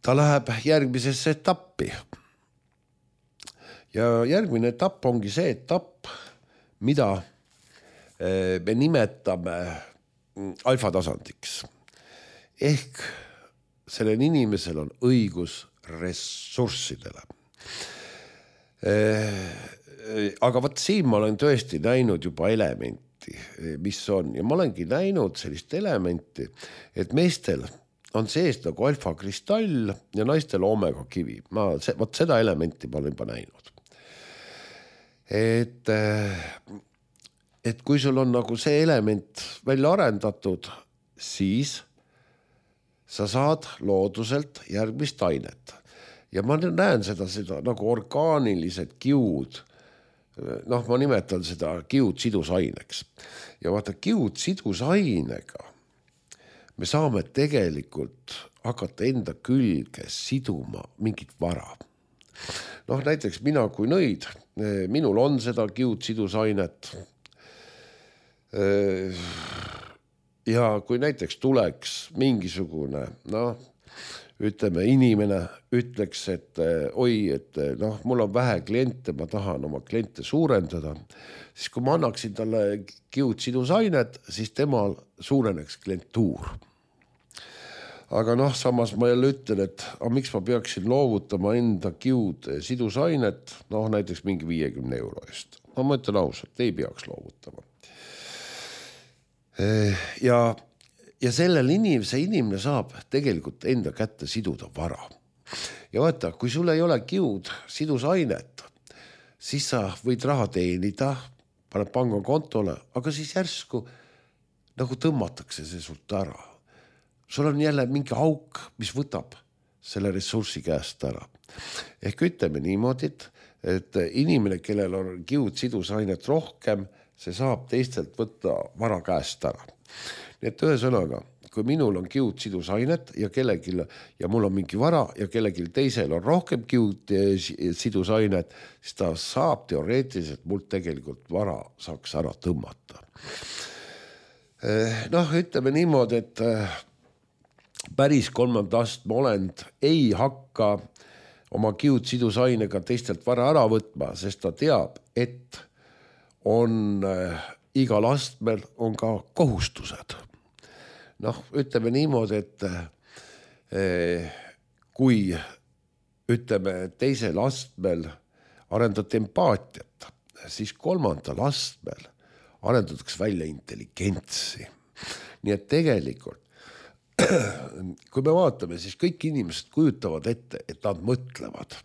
ta läheb järgmisesse etappi. Ja järgmine etapp ongi see etapp, mida me nimetame alfatasandiks. Ehk sellel inimesel on õigus ressurssidele. Aga vaat siin ma olen tõesti näinud juba elementi, mis on. Ja ma olengi näinud sellist elementi, et meestel on sees nagu alfakristall ja naistel omega kivi. Ma, see, võt seda elementi ma olen juba näinud. Et, et kui sul on nagu see element välja arendatud, siis sa saad looduselt järgmist ainet. Ja ma näen seda, seda nagu orgaanilised kiud. Noh, ma nimetan seda kiud sidusaineks. Ja vaata, kiud sidusainega me saame tegelikult hakata enda külge siduma mingit vara. Noh, näiteks mina kui nõid, minul on seda kiud sidusainet. Ja kui näiteks tuleks mingisugune, noh, ütleme, inimene ütleks, et oi, et noh, mul on vähe kliente, ma tahan oma kliente suurendada, siis kui ma annaksin talle kiud sidusainet, siis temal suureneks klientuur. Aga noh, samas ma jälle ütlen, et a, miks ma peaksin loovutama enda kiud sidusainet, noh näiteks mingi viiekümne euro eest. No ma ütlen ausalt, ei peaks loovutama. Ja, ja sellel inimese inimene saab tegelikult enda kätte siduda vara. Ja vaata, kui sul ei ole kiud sidusainet, siis sa võid raha teenida, paned pangakontole, aga siis järsku nagu tõmmatakse see sult ära. Sul on jälle mingi auk, mis võtab selle ressursi käest ära. Ehk ütleme niimoodi, et inimene, kellel on kiud sidusainet rohkem, see saab teistelt võtta vara käest ära. Nii et ühesõnaga, kui minul on kiud sidusainet ja kellegil ja mul on mingi vara ja kellegil teisel on rohkem kiud sidusainet, siis ta saab teoreetiliselt mult tegelikult vara saaks ära tõmmata. Noh, ütleme niimoodi, et päris kolmanda astme olend ei hakka oma kiud sidusainega teistelt vara ära võtma, sest ta teab, et on igal astmel on ka kohustused. Noh, ütleme niimoodi, et eh, kui ütleme teisel astmel arendati empaatiat, siis kolmandal astmel arendatakse välja intelligentsi. Nii et tegelikult, kui me vaatame, siis kõik inimesed kujutavad ette, et nad mõtlevad.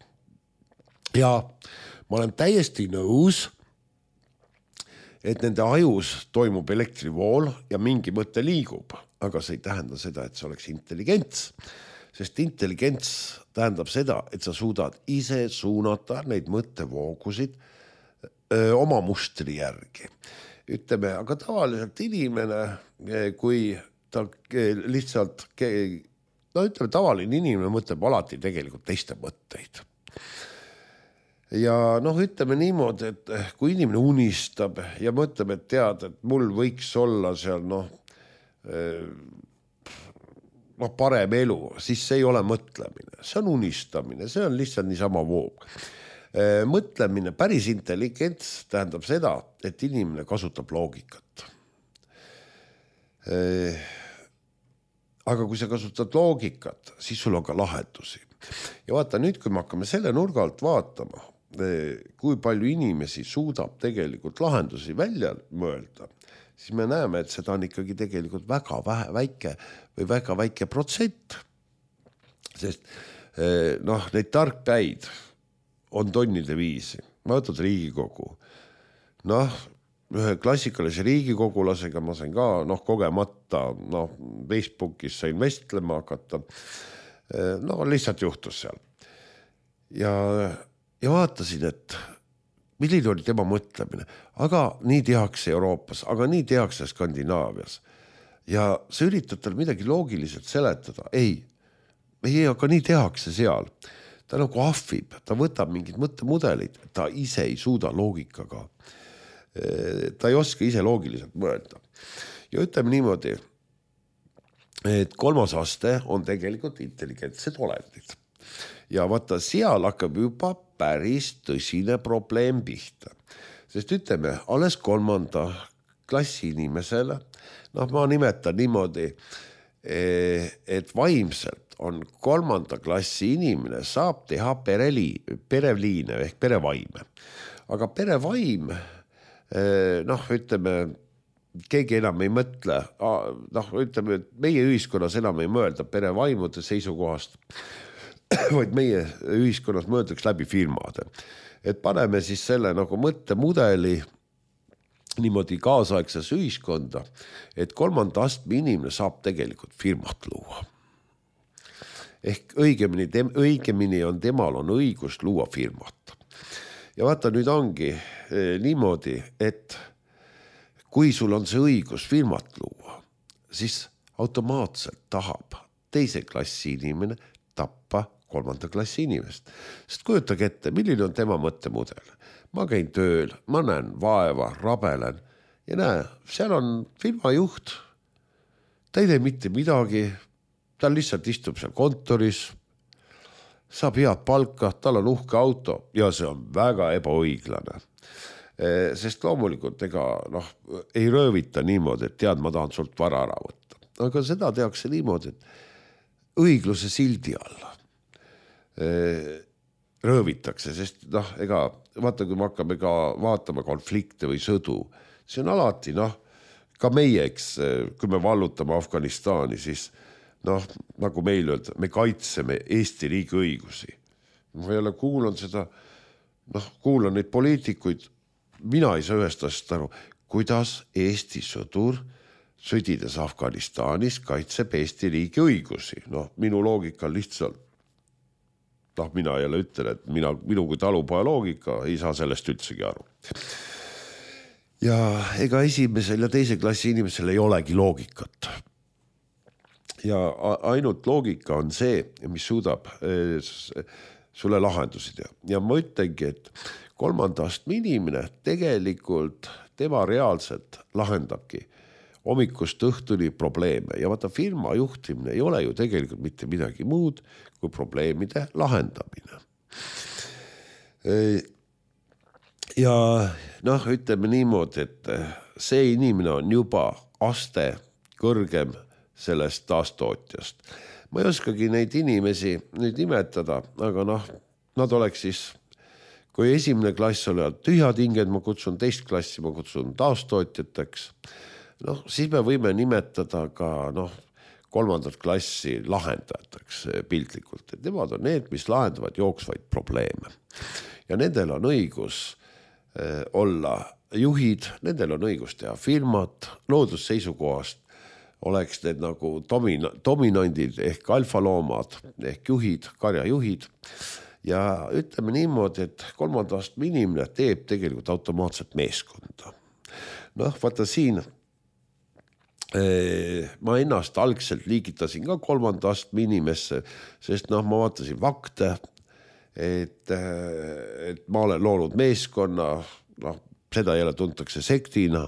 Ja ma olen täiesti nõus, et nende ajus toimub elektrivool ja mingi mõte liigub, aga see ei tähenda seda, et see oleks intelligents, sest intelligents tähendab seda, et sa suudad ise suunata neid mõttevoogusid öö, oma mustri järgi. Ütleme, aga tavaliselt inimene, kui ta lihtsalt, no ütleme, tavaline inimene mõtleb alati tegelikult teiste mõtteid. Ja noh, ütleme niimoodi, et kui inimene unistab ja mõtleb, et tead, et mul võiks olla seal noh, noh parem elu, siis see ei ole mõtlemine, see on unistamine, see on lihtsalt niisama voog. Mõtlemine, päris intelligents tähendab seda, et inimene kasutab loogikat. Aga kui sa kasutad loogikat, siis sul on ka lahendusi. Ja vaata nüüd, kui me hakkame selle nurga alt vaatama, kui palju inimesi suudab tegelikult lahendusi välja mõelda, siis me näeme, et seda on ikkagi tegelikult väga vähe, väike või väga väike protsent. Sest noh, neid tarkpäid on tonnide viisi. Ma võtad Riigikogu. Noh, ühe klassikalise riigikogulasega ma sain ka noh, kogemata noh, Facebookis sain vestlema hakata. No lihtsalt juhtus seal. Ja Ja vaatasin, et milline oli tema mõtlemine, aga nii tehakse Euroopas, aga nii tehakse Skandinaavias. Ja sa üritad tal midagi loogiliselt seletada. Ei, ei, aga nii tehakse seal. Ta nagu ahvib, ta võtab mingid mõttemudelid, ta ise ei suuda loogikaga. Ta ei oska ise loogiliselt mõelda. Ja ütleme niimoodi, et kolmas aste on tegelikult intelligentsed olendid. Ja vaata, seal hakkab juba päris tõsine probleem pihta. Sest ütleme, alles kolmanda klassi inimesele, noh ma nimetan niimoodi, et vaimselt on kolmanda klassi inimene saab teha pereli, pereliine ehk perevaime. Aga perevaim, noh ütleme, keegi enam ei mõtle, noh ütleme, et meie ühiskonnas enam ei mõelda perevaimude seisukohast, vaid meie ühiskonnas mõeldaks läbi firmade. Et paneme siis selle nagu mõttemudeli niimoodi kaasaegses ühiskonda, et kolmanda astme inimene saab tegelikult firmat luua. Ehk õigemini, tem, õigemini on temal on õigus luua firmat. Ja vaata, nüüd ongi eh, niimoodi, et kui sul on see õigus firmat luua, siis automaatselt tahab teise klassi inimene tappa kolmanda klassi inimest. Sest kujutage ette, milline on tema mõttemudel. Ma käin tööl, ma näen vaeva, rabelen ja näe, seal on firma juht. Ta ei tee mitte midagi, ta lihtsalt istub seal kontoris, saab head palka, tal on uhke auto ja see on väga ebaõiglane. Sest loomulikult ega noh, ei röövita niimoodi, et tead, ma tahan sult vara ära võtta. Aga seda tehakse niimoodi, et õigluse sildi alla röövitakse, sest noh, ega vaata, kui me hakkame ka vaatama konflikte või sõdu, see on alati noh, ka meie, eks, kui me vallutame Afganistani, siis noh, nagu meil öelda, me kaitseme Eesti riigi õigusi. Ma jälle kuulan seda, noh, kuulan neid poliitikuid, mina ei saa ühest asjast aru, kuidas Eesti sõdur sõdides Afganistanis kaitseb Eesti riigi õigusi. Noh, minu loogika lihtsalt, noh, mina jälle ütlen, et mina, minu kui talupoja loogika ei saa sellest üldsegi aru. Ja ega esimesel ja teise klassi inimesel ei olegi loogikat. ja ainult loogika on see, mis suudab sulle lahendusi teha. Ja ma ütlengi, et kolmanda astme inimene tegelikult tema reaalselt lahendabki hommikust õhtuni probleeme ja vaata firma juhtimine ei ole ju tegelikult mitte midagi muud kui probleemide lahendamine. Ja noh, ütleme niimoodi, et see inimene on juba aste kõrgem sellest taastootjast. Ma ei oskagi neid inimesi nüüd nimetada, aga noh, nad oleks siis, kui esimene klass oli tühjad hinged, ma kutsun teist klassi, ma kutsun taastootjateks, noh, siis me võime nimetada ka noh, kolmandat klassi lahendajateks piltlikult, et nemad on need, mis lahendavad jooksvaid probleeme. Ja nendel on õigus eh, olla juhid, nendel on õigus teha firmat, loodusseisukohast oleks need nagu domina- dominandid ehk alfaloomad ehk juhid, karjajuhid ja ütleme niimoodi, et kolmanda astme inimene teeb tegelikult automaatselt meeskonda. Noh, vaata siin eh, ma ennast algselt liigitasin ka kolmanda astme inimesse, sest noh, ma vaatasin fakte, et, et ma olen loonud meeskonna, noh, seda jälle tuntakse sektina.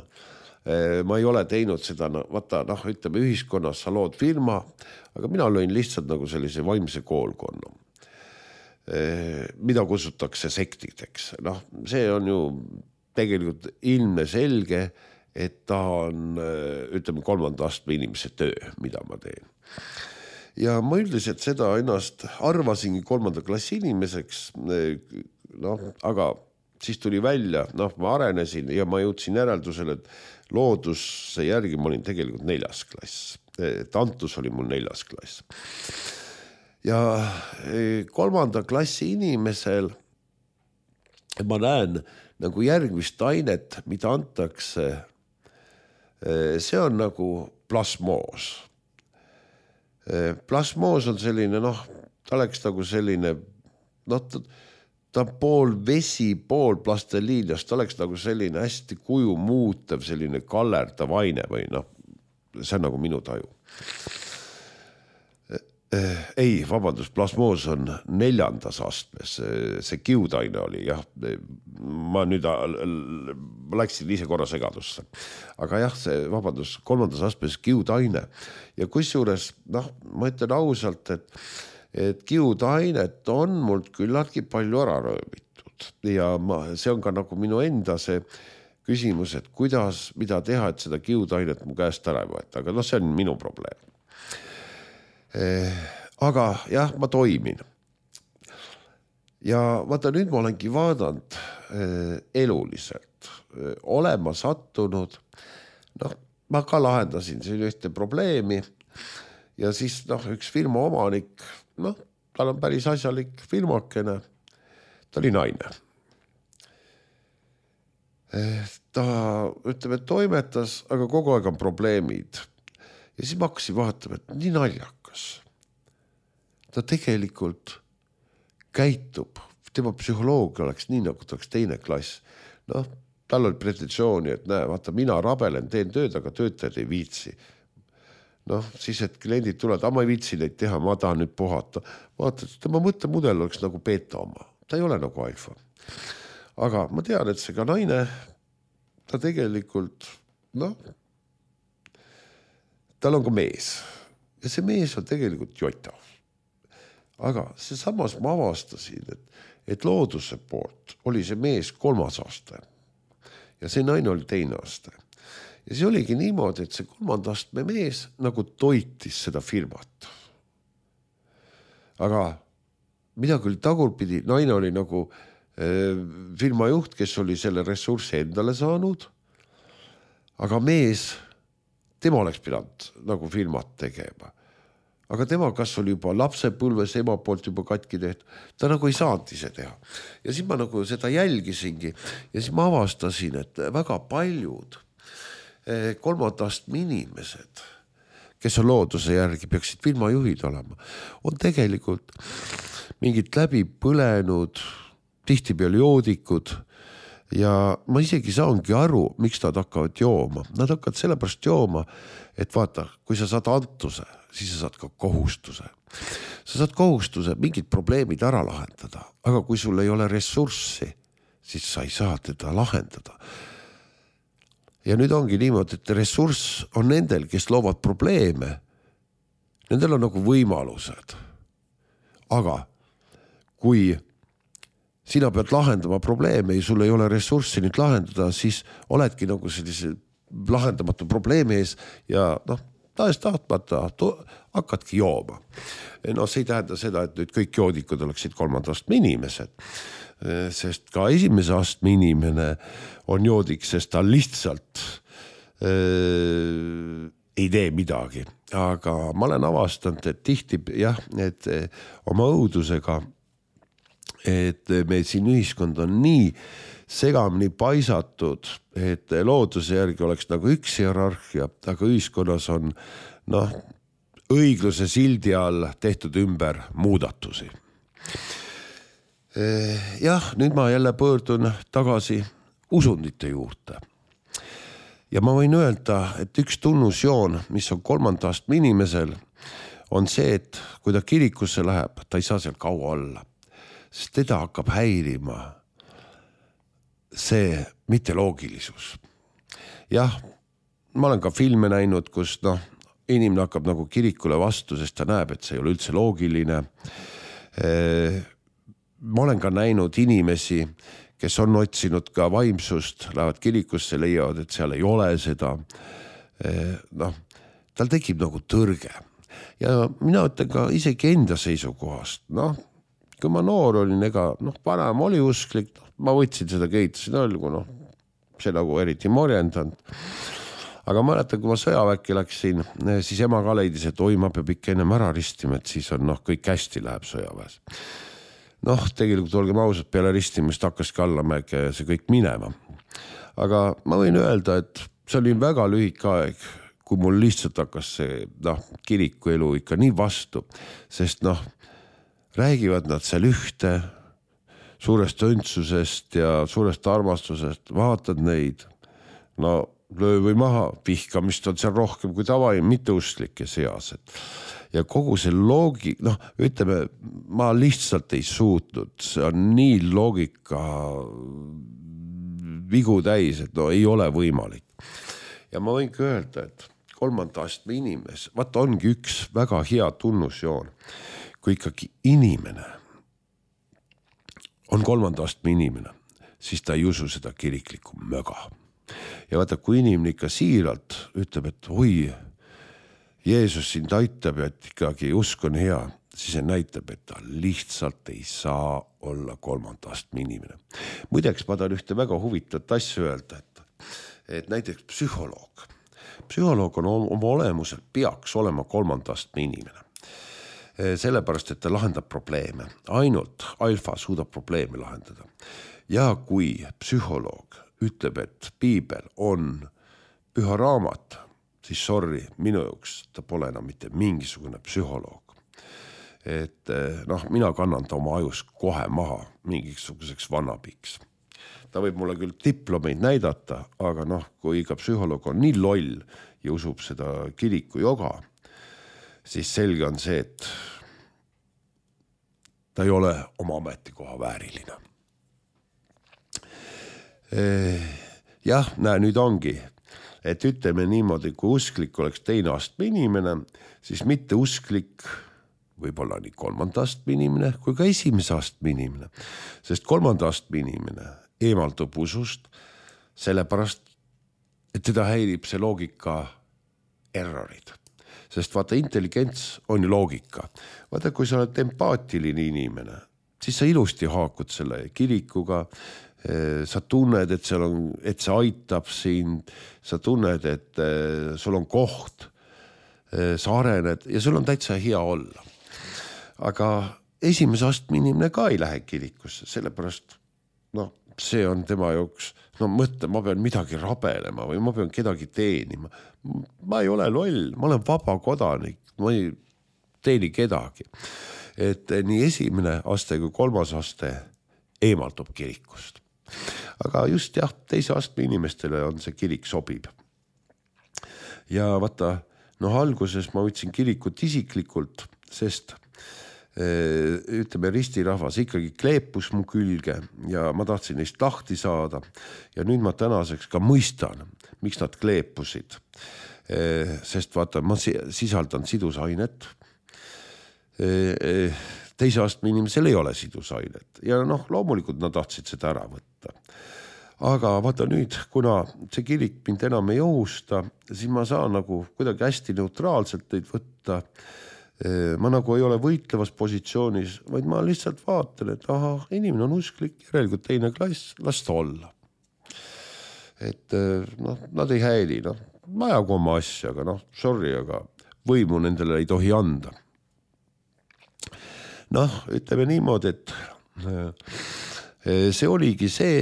Ma ei ole teinud seda, no, vaata, noh, ütleme ühiskonnas sa lood firma, aga mina lõin lihtsalt nagu sellise vaimse koolkonna, mida kutsutakse sektideks. Noh, see on ju tegelikult ilmne selge, et ta on, ütleme, kolmanda astme inimese töö, mida ma teen. Ja ma üldiselt seda ennast arvasingi kolmanda klassi inimeseks, noh, aga siis tuli välja, noh, ma arenesin ja ma jõudsin järeldusele, et looduse järgi ma olin tegelikult neljas klass. Tantus oli mul neljas klass. Ja kolmanda klassi inimesel ma näen nagu järgmist ainet, mida antakse. See on nagu plasmoos. Plasmoos on selline, noh, ta oleks nagu selline, noh, ta on pool vesi, pool plasteliinast, ta oleks nagu selline hästi kuju muutev, selline kallerdav aine või noh, see on nagu minu taju. Ei, vabandust, plasmoos on neljandas astmes, see kiudaine oli, jah, ma nüüd läksin ise korra segadusse, aga jah, see, vabandust, kolmandas astmes kiudaine ja kusjuures, noh, ma ütlen ausalt, et et kiudainet on mult küllaltki palju ära rööbitud ja ma, see on ka nagu minu enda see küsimus, et kuidas, mida teha, et seda kiudainet mu käest ära ei võeta, aga noh, see on minu probleem. Aga jah, ma toimin. Ja vaata, nüüd ma olengi vaadanud eluliselt, olema sattunud, noh, ma ka lahendasin siin ühte probleemi ja siis noh, üks firma omanik, noh, tal on päris asjalik firmakene, ta oli naine. Ta, ütleme, toimetas, aga kogu aeg on probleemid. Ja siis ma hakkasin vaatama, et nii naljakas. Ta tegelikult käitub, tema psühholoogia oleks nii, nagu ta oleks teine klass. Noh, tal oli pretensiooni, et näe, vaata, mina rabelen, teen tööd, aga töötajad ei viitsi. Noh, siis, et kliendid tulevad, aga ma ei viitsi neid teha, ma tahan nüüd puhata. Vaata, et tema mõttemudel oleks nagu beta oma. Ta ei ole nagu alfa. Aga ma tean, et see ka naine, ta tegelikult, noh, tal on ka mees. Ja see mees on tegelikult jotav. Aga see samas ma avastasin, et, et looduse poolt oli see mees kolmas aste. Ja see naine oli teine aste. Ja see oligi niimoodi, et see kolmanda astme mees nagu toitis seda firmat. Aga mida küll tagurpidi, naine oli nagu äh, firma juht, kes oli selle ressurssi endale saanud, aga mees, tema oleks pidanud nagu firmat tegema. Aga tema kas oli juba lapsepõlves ema poolt juba katki tehtud, ta nagu ei saanud ise teha. Ja siis ma nagu seda jälgisingi ja siis ma avastasin, et väga paljud kolmandast inimesed, kes on looduse järgi, peaksid firmajuhid olema, on tegelikult mingid läbi põlenud, tihtipeale joodikud ja ma isegi saangi aru, miks nad hakkavad jooma. Nad hakkavad sellepärast jooma, et vaata, kui sa saad antuse, siis sa saad ka kohustuse. Sa saad kohustuse mingid probleemid ära lahendada, aga kui sul ei ole ressurssi, siis sa ei saa teda lahendada. Ja nüüd ongi niimoodi, et ressurss on nendel, kes loovad probleeme. Nendel on nagu võimalused. Aga kui sina pead lahendama probleeme ja sul ei ole ressurssi nüüd lahendada, siis oledki nagu sellise lahendamatu probleemi ees ja noh, tahes tahtmata hakkadki jooma. No see ei tähenda seda, et nüüd kõik joodikud oleksid kolmandast inimesed, sest ka esimese astme inimene on joodik, sest ta lihtsalt äh, ei tee midagi. Aga ma olen avastanud, et tihti jah, et oma õudusega, et me siin ühiskond on nii segamini paisatud, et looduse järgi oleks nagu üks hierarhia, aga ühiskonnas on noh, õigluse sildi all tehtud ümber muudatusi. Jah, nüüd ma jälle pöördun tagasi usundite juurde. Ja ma võin öelda, et üks tunnusjoon, mis on kolmanda astme inimesel, on see, et kui ta kirikusse läheb, ta ei saa seal kaua olla. Sest teda hakkab häirima see mitteloogilisus. Jah, ma olen ka filme näinud, kus noh, inimene hakkab nagu kirikule vastu, sest ta näeb, et see ei ole üldse loogiline. Ma olen ka näinud inimesi, kes on otsinud ka vaimsust, lähevad kirikusse, leiavad, et seal ei ole seda. Noh, tal tekib nagu tõrge. Ja mina ütlen ka isegi enda seisukohast. Noh, kui ma noor olin, ega noh, vanem oli usklik, ma võtsin seda keitasin olgu, noh, see nagu eriti morjendanud. Aga ma mäletan, kui ma sõjaväkke läksin, siis ema ka leidis, et oi, ma peab ikka ennem ära ristima, et siis on noh, kõik hästi läheb sõjaväes. Noh, tegelikult olgem ausad, peale ristimist hakkaski allamäge see kõik minema. Aga ma võin öelda, et see oli väga lühike aeg, kui mul lihtsalt hakkas see noh, kiriku elu ikka nii vastu, sest noh, räägivad nad seal ühte suurest õndsusest ja suurest armastusest, vaatad neid, no löö või maha, vihkamist on seal rohkem kui tavaim mitteuslike seas. Ja kogu see loogik, noh, ütleme, ma lihtsalt ei suutnud, see on nii loogika vigu täis, et no ei ole võimalik. Ja ma võingi öelda, et kolmanda astme inimes, vaata ongi üks väga hea tunnusjoon, kui ikkagi inimene on kolmanda astme inimene, siis ta ei usu seda kiriklikku möga. Ja vaata, kui inimene ikka siiralt ütleb, et oi, Jeesus sind aitab ja et ikkagi usk on hea, siis see näitab, et ta lihtsalt ei saa olla kolmanda astme inimene. Muideks ma tahan ühte väga huvitavat asja öelda, et, et näiteks psühholoog. Psühholoog on oma olemusel peaks olema kolmanda astme inimene. Sellepärast, et ta lahendab probleeme. Ainult alfa suudab probleeme lahendada. Ja kui psühholoog ütleb, et piibel on püha raamat, siis sorry, minu jaoks ta pole enam mitte mingisugune psühholoog. Et noh, mina kannan ta oma ajus kohe maha mingisuguseks vannapiks. Ta võib mulle küll diplomeid näidata, aga noh, kui iga psühholoog on nii loll ja usub seda kiriku joga, siis selge on see, et ta ei ole oma ametikoha vääriline. Jah, näe, nüüd ongi, et ütleme niimoodi, kui usklik oleks teine astme inimene, siis mitte usklik võib olla nii kolmanda astme inimene kui ka esimese astme inimene. Sest kolmanda astme inimene eemaldub usust, sellepärast, et teda häirib see loogika errorid. Sest vaata, intelligents on ju loogika. Vaata, kui sa oled empaatiline inimene, siis sa ilusti haakud selle kirikuga, sa tunned, et, seal on, et see aitab sind, sa tunned, et sul on koht, sa arened ja sul on täitsa hea olla. Aga esimese astme inimene ka ei lähe kirikusse, sellepärast noh, see on tema jaoks, no mõtle, ma pean midagi rabelema või ma pean kedagi teenima. Ma ei ole loll, ma olen vaba kodanik, ma ei teeni kedagi. Et nii esimene aste kui kolmas aste eemaldub kirikust. Aga just jah, teise astme inimestele on see kirik sobib. Ja vaata, noh, alguses ma võtsin kirikut isiklikult, sest ütleme, ristirahvas ikkagi kleepus mu külge ja ma tahtsin neist lahti saada ja nüüd ma tänaseks ka mõistan, miks nad kleepusid. Sest vaata, ma sisaldan sidusainet. Teise astme inimesel ei ole sidusainet ja noh, loomulikult nad tahtsid seda ära võtta. Aga vaata nüüd, kuna see kirik mind enam ei ohusta, siis ma saan nagu kuidagi hästi neutraalselt neid võtta. Ma nagu ei ole võitlevas positsioonis, vaid ma lihtsalt vaatan, et aha, inimene on usklik, järelikult teine klass, las ta olla. Et noh, nad ei häili, noh, ma ajagu oma asja, aga noh, sorry, aga võimu nendele ei tohi anda. Noh, ütleme niimoodi, et see oligi see,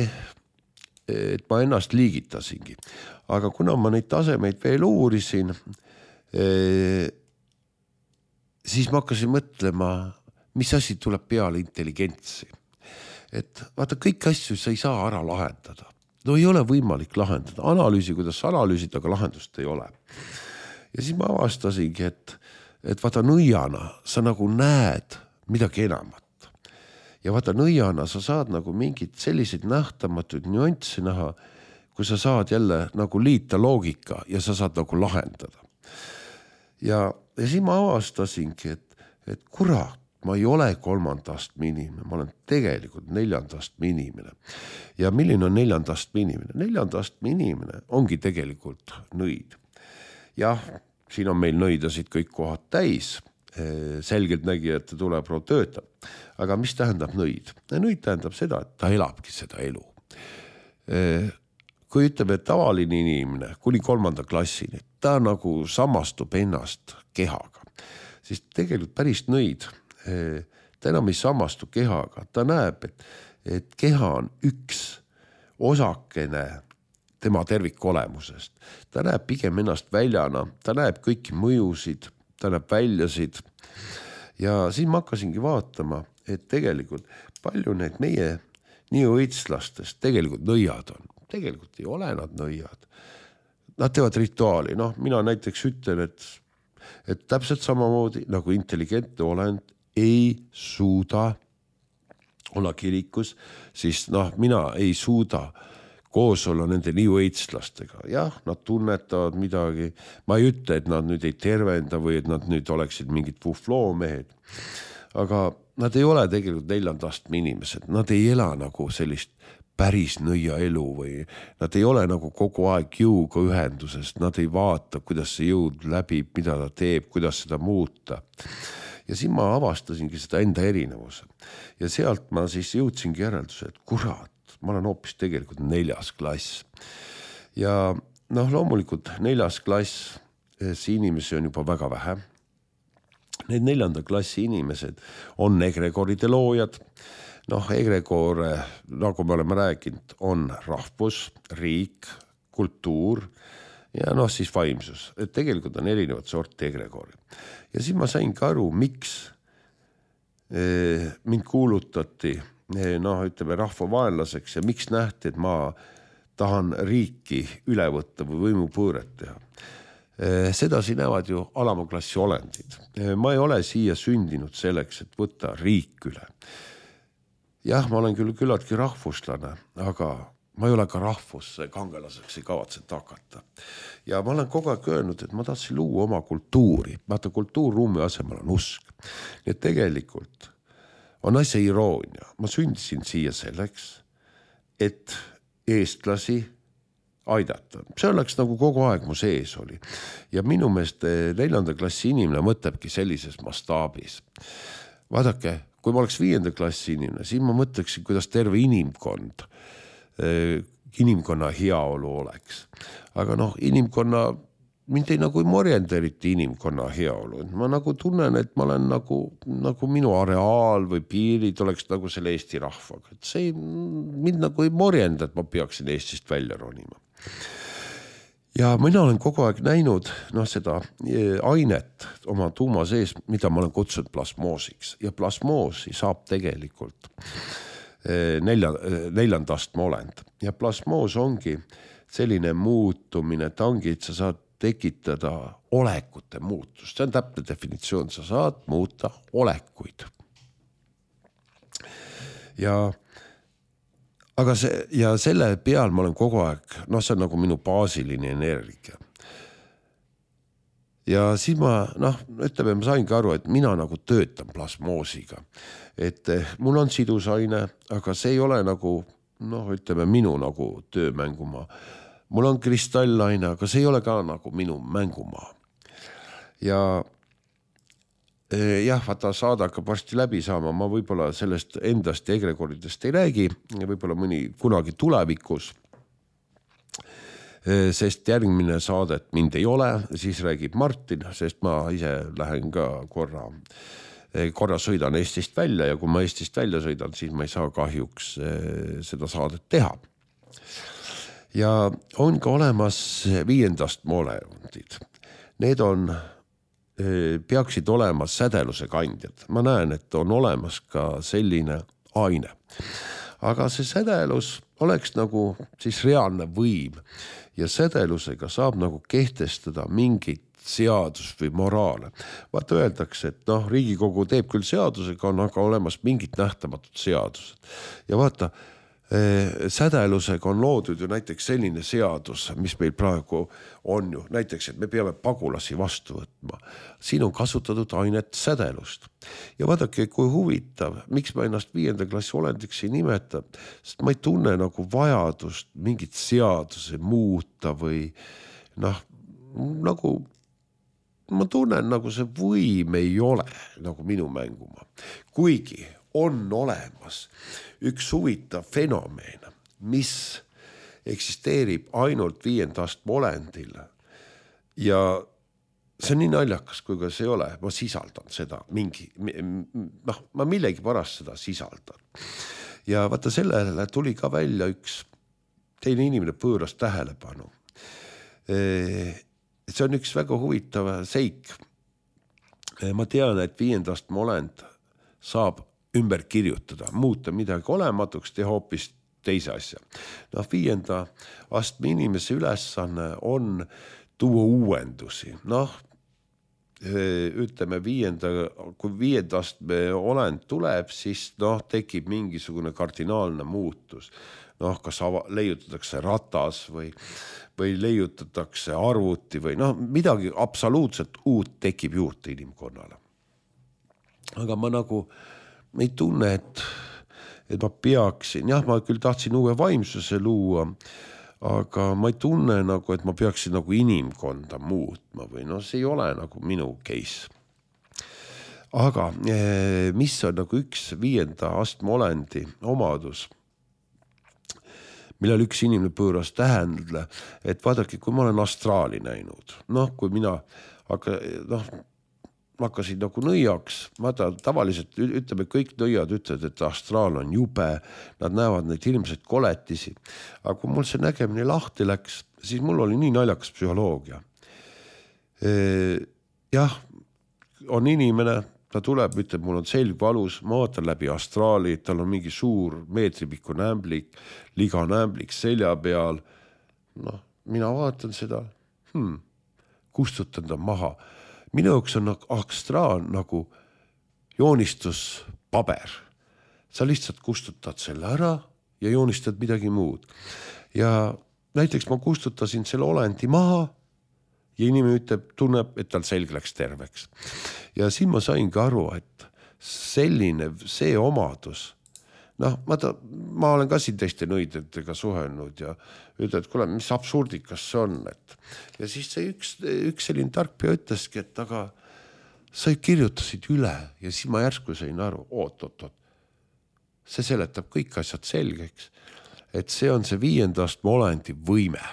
et ma ennast liigitasingi. Aga kuna ma neid tasemeid veel uurisin, siis ma hakkasin mõtlema, mis asi tuleb peale intelligentsi. Et vaata, kõik asju sa ei saa ära lahendada. No ei ole võimalik lahendada. Analüüsi, kuidas sa analüüsid, aga lahendust ei ole. Ja siis ma avastasingi, et, et vaata nõiana sa nagu näed midagi enamat. Ja vaata nõiana sa saad nagu mingid selliseid nähtamatuid nüanssi näha, kui sa saad jälle nagu liita loogika ja sa saad nagu lahendada. Ja, ja siis ma avastasingi, et, et kurat, ma ei ole kolmandast inimene, ma olen tegelikult neljandast inimene. Ja milline on neljandast inimene? Neljandast inimene ongi tegelikult nõid. Jah, siin on meil nõidasid kõik kohad täis, selgelt nägijate tuleb roo töötab. Aga mis tähendab nõid? Nõid tähendab seda, et ta elabki seda elu. Kui ütleme, et tavaline inimene kuni kolmanda klassini, ta nagu samastub ennast kehaga, siis tegelikult päris nõid, ta enam ei samastu kehaga, ta näeb, et, et keha on üks osakene tema tervikolemusest. Ta näeb pigem ennast väljana, ta näeb kõiki mõjusid, ta näeb väljasid ja siis ma hakkasingi vaatama, et tegelikult palju need meie nii õitslastest tegelikult nõiad on. Tegelikult ei ole nad nõiad. Nad teevad rituaali. Noh, mina näiteks ütlen, et, et täpselt samamoodi nagu intelligentne olend ei suuda olla kirikus, siis noh, mina ei suuda koos olla nende nii õitslastega. Jah, nad tunnetavad midagi. Ma ei ütle, et nad nüüd ei tervenda või et nad nüüd oleksid mingid fufloomehed. Aga nad ei ole tegelikult neljandast inimesed. Nad ei ela nagu sellist päris nõia elu või nad ei ole nagu kogu aeg jõuga ühenduses. Nad ei vaata, kuidas see jõud läbib, mida ta teeb, kuidas seda muuta. Ja siis ma avastasingi seda enda erinevuse. Ja sealt ma siis jõudsingi järelduse, et kurat, ma olen hoopis tegelikult neljas klass. Ja noh, loomulikult neljas klass, see inimesi on juba väga vähe. Need neljanda klassi inimesed on egregoride loojad. Noh, egregor, nagu me oleme rääkinud, on rahvus, riik, kultuur ja noh, siis vaimsus. Et tegelikult on erinevad sorti egregori. Ja siis ma sain ka aru, miks mind kuulutati noh, ütleme rahvavaenlaseks ja miks nähti, et ma tahan riiki üle võtta või võimupõõret teha. Sedasi näevad ju alamaklassi olendid. Ma ei ole siia sündinud selleks, et võtta riik üle. Jah, ma olen küll küllaltki rahvuslane, aga ma ei ole ka rahvusse kangelaseks ei kavatset hakata. Ja ma olen kogu aeg öelnud, et ma tahtsin luua oma kultuuri. Vaata, kultuurruumi asemel on usk. Nii et tegelikult on asja iroonia. Ma sündisin siia selleks, et eestlasi aidata. See oleks nagu kogu aeg mu sees oli. Ja minu meelest neljanda klassi inimene mõtlebki sellises mastaabis. Vaadake, kui ma oleks viienda klassi inimene, siis ma mõtleksin, kuidas terve inimkond, inimkonna heaolu oleks. Aga noh, inimkonna, mind ei nagu ei morjenda eriti inimkonna heaolu. Ma nagu tunnen, et ma olen nagu, nagu minu areaal või piirid oleks nagu selle Eesti rahvaga. Et see mind nagu ei morjenda, et ma peaksin Eestist välja ronima. Ja mina olen kogu aeg näinud noh, seda ainet oma tuuma sees, mida ma olen kutsunud plasmoosiks. Ja plasmoosi saab tegelikult nelja, neljandast olend. Ja plasmoos ongi selline muutumine, ta ongi, et sa saad tekitada olekute muutust. See on täpne definitsioon, sa saad muuta olekuid. Ja, aga see, ja selle peal ma olen kogu aeg, noh, see on nagu minu baasiline energia. Ja siis ma, noh, ütleme, ma saingi aru, et mina nagu töötan plasmoosiga. Et mul on sidusaine, aga see ei ole nagu, noh, ütleme, minu nagu töömängumaa. Mul on kristallaine, aga see ei ole ka nagu minu mängumaa. Ja jah, vaata saada hakkab varsti läbi saama, ma võib-olla sellest endast ja egregoridest ei räägi, võib-olla mõni kunagi tulevikus, sest järgmine saadet mind ei ole, siis räägib Martin, sest ma ise lähen ka korra, korra sõidan Eestist välja ja kui ma Eestist välja sõidan, siis ma ei saa kahjuks seda saadet teha. Ja on ka olemas viiendast molekundid. Need on, peaksid olema sädeluse kandjad. Ma näen, et on olemas ka selline aine. Aga see sädelus oleks nagu siis reaalne võim ja sädelusega saab nagu kehtestada mingit seadus või moraale. Vaata öeldakse, et noh, Riigikogu teeb küll seadusega, on aga olemas mingid nähtamatud seadused. Ja vaata, sädelusega on loodud ju näiteks selline seadus, mis meil praegu on ju, näiteks, et me peame pagulasi vastu võtma. Siin on kasutatud ainet sädelust. Ja vaadake, kui huvitav, miks ma ennast viienda klassi olendiks ei nimeta, sest ma ei tunne nagu vajadust mingit seaduse muuta või noh, nagu ma tunnen nagu see võim ei ole nagu minu mänguma. Kuigi on olemas üks huvitav fenomen, mis eksisteerib ainult viiendast olendil. Ja see on nii naljakas, kui ka see ei ole, ma sisaldan seda mingi, noh, ma millegi pärast seda sisaldan. Ja vaata sellele tuli ka välja üks teine inimene pööras tähelepanu. See on üks väga huvitav seik. Ma tean, et viiendast olend saab ümber kirjutada, muuta midagi olematuks, teha hoopis teise asja. No, viienda astme inimese ülesanne on tuua uuendusi. Noh, ütleme viienda, kui viienda astme olend tuleb, siis noh, tekib mingisugune kardinaalne muutus. Noh, kas leiutatakse ratas või, või leiutatakse arvuti või noh, midagi absoluutselt uut tekib juurde inimkonnale. Aga ma nagu ma ei tunne, et, et ma peaksin, jah, ma küll tahtsin uue vaimsuse luua, aga ma ei tunne nagu, et ma peaksin nagu inimkonda muutma või no see ei ole nagu minu case. Aga mis on nagu üks viienda astme olendi omadus, millel üks inimene pööras tähendle, et vaadake, kui ma olen astraali näinud, noh, kui mina hakka, noh, ma hakkasin nagu nõiaks, vaata tavaliselt ütleme, kõik nõiad ütlevad, et astraal on jube, nad näevad neid ilmselt koletisi, aga kui mul see nägemine lahti läks, siis mul oli nii naljakas psühholoogia. Jah, on inimene, ta tuleb, ütleb, mul on selg valus, ma vaatan läbi astraali, tal on mingi suur meetripikku nämblik, liga nämblik selja peal, noh, mina vaatan seda, hmm, kustutan ta maha. Minu jaoks on astraal nagu joonistuspaber. Sa lihtsalt kustutad selle ära ja joonistad midagi muud. Ja näiteks ma kustutasin selle olendi maha ja inimene ütleb, tunneb, et tal selg läks terveks. Ja siin ma sain ka aru, et selline, see omadus, noh, ma, ta, ma olen ka siin teiste nõidetega suhelnud ja ütled, et kuule, mis absurdikas see on. Et... Ja siis see üks, üks selline tarkpea ütleski, et aga sa kirjutasid üle ja siis ma järsku sain aru, oot, oot, oot. See seletab kõik asjad selgeks, et see on see viiendast olendi võime.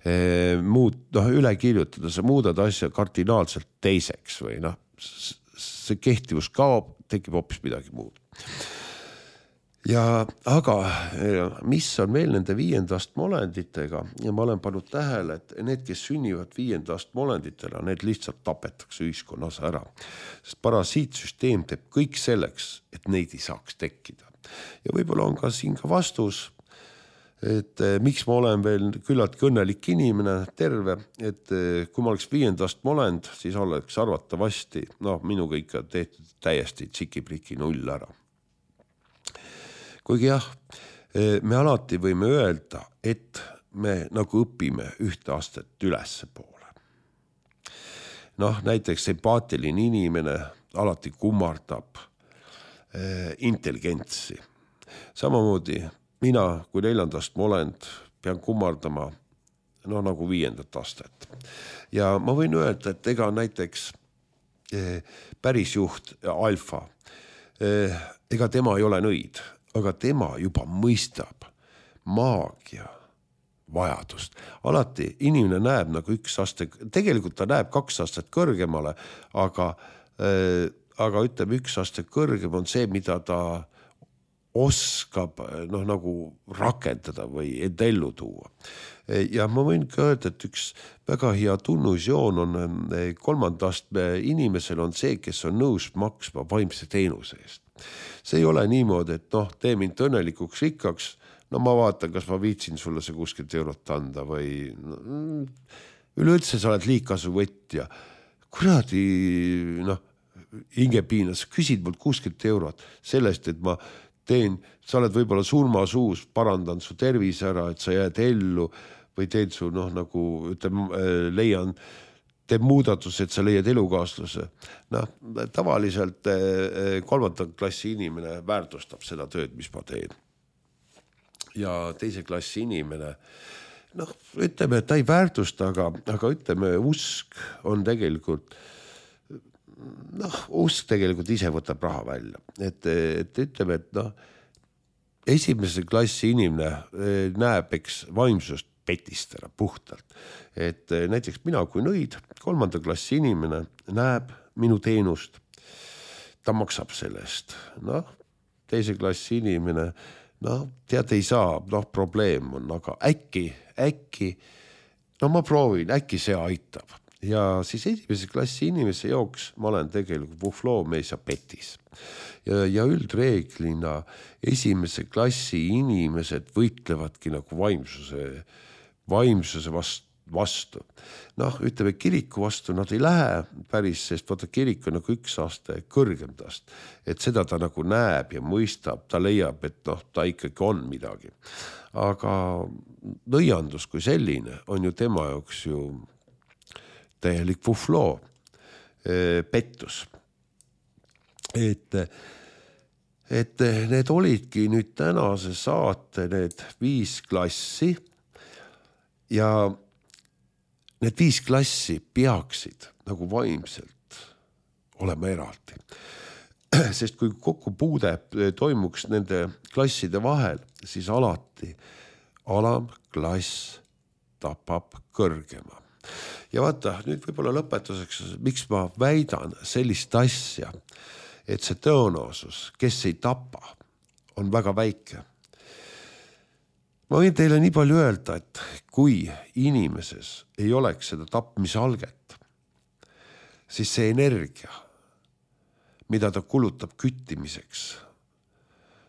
E, muud, noh, üle kirjutada, sa muudad asja kardinaalselt teiseks või noh, see kehtivus kaob, tekib hoopis midagi muud. Ja aga mis on veel nende viiendast olenditega ja ma olen pannud tähele, et need, kes sünnivad viiendast olenditele, need lihtsalt tapetakse ühiskonnas ära. Sest parasiitsüsteem teeb kõik selleks, et neid ei saaks tekkida. Ja võib-olla on ka siin ka vastus, et miks ma olen veel küllalt õnnelik inimene, terve, et kui ma oleks viiendast molend, siis oleks arvatavasti, noh, minuga ikka tehtud täiesti tsiki-priki null ära. Kuigi jah, me alati võime öelda, et me nagu õpime ühte astet ülesse poole. Noh, näiteks empaatiline inimene alati kummardab eh, intelligentsi. Samamoodi mina kui neljandast molend pean kummardama no, nagu viiendat astet. Ja ma võin öelda, et ega näiteks eh, pärisjuht Alfa, eh, ega tema ei ole nõid, aga tema juba mõistab maagia vajadust. Alati inimene näeb nagu üks aste, tegelikult ta näeb kaks astet kõrgemale, aga, äh, aga ütleme, üks aste kõrgem on see, mida ta oskab noh, nagu rakendada või ellu tuua. Ja ma võin ka öelda, et üks väga hea tunnusjoon on kolmandast inimesel on see, kes on nõus maksma vaimse teenuse eest. See ei ole niimoodi, et noh, tee mind õnnelikuks rikkaks, no ma vaatan, kas ma viitsin sulle see kuuskümmend eurot anda või no, üleüldse sa oled liigkasu võtja. Kuradi, noh, hingepiinas, küsid mult kuuskümmend eurot sellest, et ma teen, sa oled võib-olla surmasuus, parandan su tervis ära, et sa jääd ellu või teen su, noh, nagu ütleme, leian, teeb muudatus, et sa leiad elukaaslase. Noh, tavaliselt kolmanda klassi inimene väärtustab seda tööd, mis ma teen. Ja teise klassi inimene, noh, ütleme, et ta ei väärtusta, aga, aga ütleme, usk on tegelikult, noh, usk tegelikult ise võtab raha välja. Et, et ütleme, et noh, esimese klassi inimene näeb, eks, vaimsust petistena puhtalt. Et näiteks mina kui nõid, kolmanda klassi inimene näeb minu teenust, ta maksab sellest. Noh, teise klassi inimene, noh, tead, ei saa, noh, probleem on, aga äkki, äkki, no ma proovin, äkki see aitab. Ja siis esimese klassi inimese jooks ma olen tegelikult pufloomees ja petis. Ja, ja üldreeglina esimese klassi inimesed võitlevadki nagu vaimsuse, vaimsuse vastu. vastu. Noh, ütleme, kiriku vastu nad ei lähe päris, sest vaata, kirik on nagu üks aste kõrgem tast. Et seda ta nagu näeb ja mõistab, ta leiab, et noh, ta ikkagi on midagi. Aga nõiandus kui selline on ju tema jaoks ju täielik pufloo, pettus. Et, et need olidki nüüd tänase saate need viis klassi ja need viis klassi peaksid nagu vaimselt olema eraldi. Sest kui kokkupuude toimuks nende klasside vahel, siis alati alamklass tapab kõrgema. Ja vaata, nüüd võib-olla lõpetuseks, miks ma väidan sellist asja, et see tõenäosus, kes ei tapa, on väga väike. Ma võin teile nii palju öelda, et kui inimeses ei oleks seda tapmise alget, siis see energia, mida ta kulutab küttimiseks,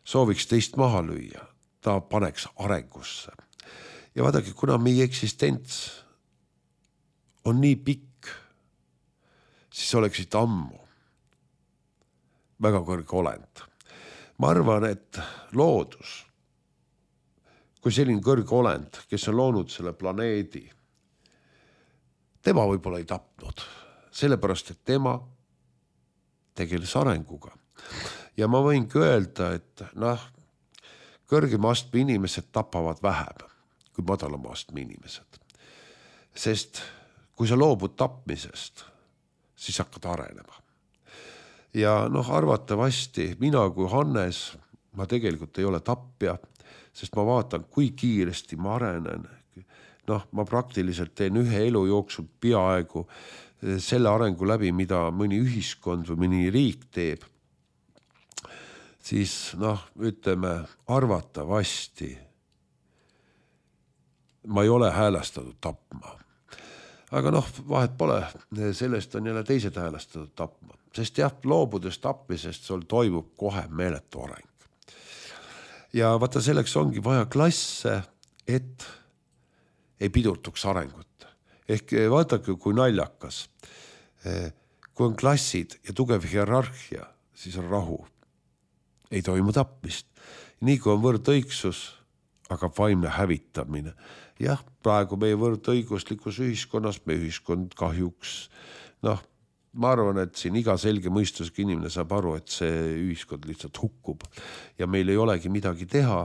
sooviks teist maha lüüa, ta paneks arengusse. Ja vaadake, kuna meie eksistents on nii pikk, siis oleksid ammu väga kõrge olend. Ma arvan, et loodus, kui selline kõrge olend, kes on loonud selle planeedi, tema võib-olla ei tapnud, sellepärast, et tema tegeles arenguga. Ja ma võingi öelda, et noh, kõrgema astme inimesed tapavad vähem kui madalama astme inimesed. Sest kui sa loobud tapmisest, siis hakkad arenema. Ja noh, arvatavasti mina kui Hannes, ma tegelikult ei ole tapja, sest ma vaatan, kui kiiresti ma arenen. Noh, ma praktiliselt teen ühe elu jooksul peaaegu selle arengu läbi, mida mõni ühiskond või mõni riik teeb. Siis noh, ütleme, arvatavasti ma ei ole häälestatud tapma. Aga noh, vahet pole, sellest on jälle teised häälestatud tapma. Sest jah, loobudes tapmisest sul toimub kohe meeletu areng. Ja vaata, selleks ongi vaja klasse et ei pidurtuks arengut. Ehk vaadake, kui naljakas. Kui on klassid ja tugev hierarhia, siis on rahu. Ei toimu tapmist. Nii kui on võrdõigsus, aga vaimne hävitamine. Jah, praegu meie võrdõiguslikus ühiskonnas, meie ühiskond kahjuks, noh, ma arvan, et siin iga selge mõistusega inimene saab aru, et see ühiskond lihtsalt hukkub ja meil ei olegi midagi teha,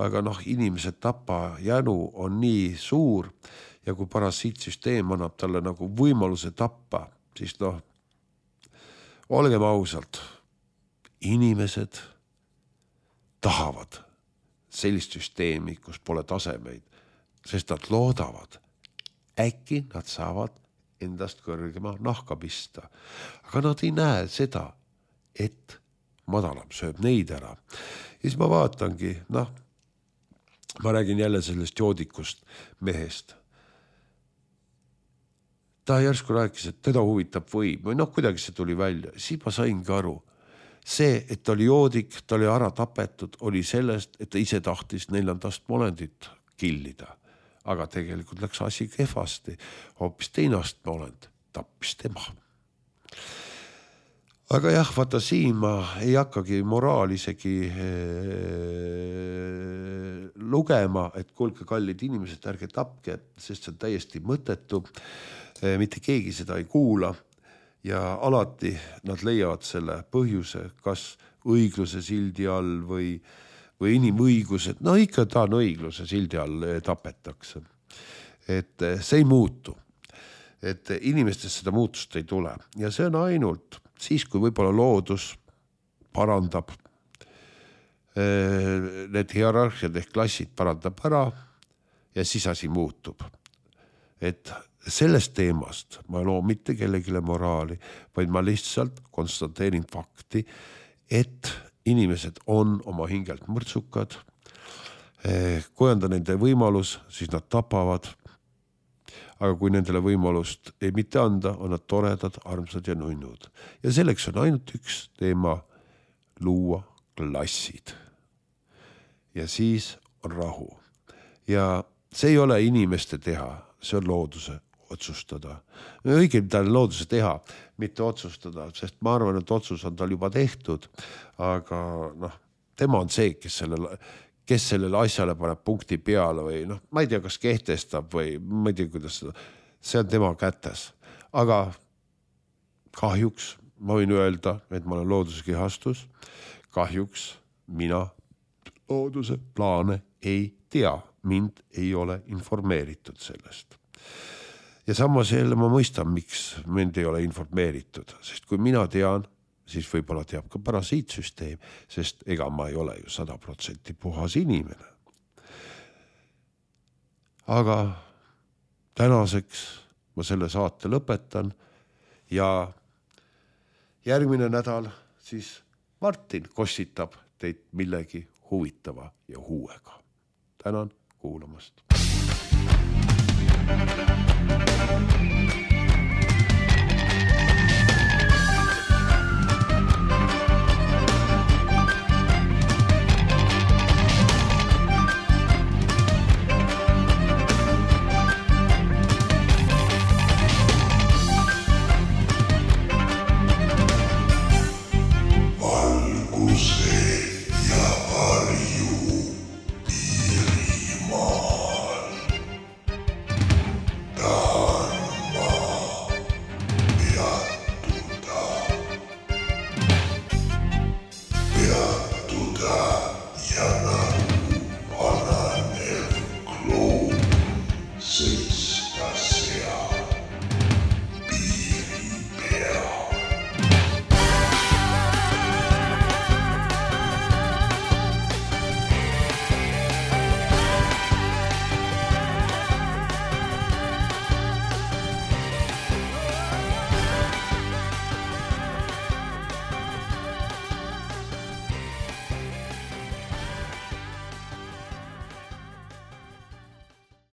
aga noh, inimesed tapa jänu on nii suur ja kui parasiitsüsteem annab talle nagu võimaluse tappa, siis noh, olgem ausalt, inimesed tahavad sellist süsteemi, kus pole tasemeid, sest nad loodavad, äkki nad saavad endast kõrgema nahka pista. Aga nad ei näe seda, et madalam sööb neid ära. Ja siis ma vaatangi, noh, ma räägin jälle sellest joodikust mehest. Ta järsku rääkis, et teda huvitab võim. Või noh, kuidagi see tuli välja. Siis ma saingi aru. See, et ta oli joodik, ta oli ära tapetud, oli sellest, et ta ise tahtis neljandast molendit killida. Aga tegelikult läks asi kehvasti. Hoopis teinast molend tappis tema. Aga jah, vaata siin ma ei hakkagi moraal isegi lugema, et kuulge kallid inimesed, ärge tapke, sest see on täiesti mõttetu. Mitte keegi seda ei kuula ja alati nad leiavad selle põhjuse, kas õigluse sildi all või, või inimõigused. No ikka ta on õigluse sildi all tapetakse. Et see ei muutu. Et inimestest seda muutust ei tule. Ja see on ainult siis, kui võib-olla loodus parandab need hierarhiad ehk klassid parandab ära ja siis asi muutub. Et sellest teemast ma ei loo mitte kellegile moraali, vaid ma lihtsalt konstateerin fakti, et inimesed on oma hingelt mõrtsukad. Kui on ta nende võimalus, siis nad tapavad. Aga kui nendele võimalust ei mitte anda, on nad toredad, armsad ja nunnud. Ja selleks on ainult üks teema luua klassid. Ja siis on rahu. Ja see ei ole inimeste teha, see on looduse otsustada. Õige, mida on looduse teha, mitte otsustada, sest ma arvan, et otsus on tal juba tehtud, aga noh, tema on see, kes sellele, kes sellele asjale paneb punkti peale või noh, ma ei tea, kas kehtestab või ma ei tea, kuidas seda, see on tema kätes. Aga kahjuks ma võin öelda, et ma olen looduse kehastus, kahjuks mina looduse plaane ei tea, mind ei ole informeeritud sellest. Ja samas jälle ma mõistan, miks mind ei ole informeeritud, sest kui mina tean, siis võib-olla teab ka parasiitsüsteem, sest ega ma ei ole ju sada protsenti puhas inimene. Aga tänaseks ma selle saate lõpetan ja järgmine nädal siis Martin kossitab teid millegi huvitava ja huuega. Tänan kuulamast. Valguse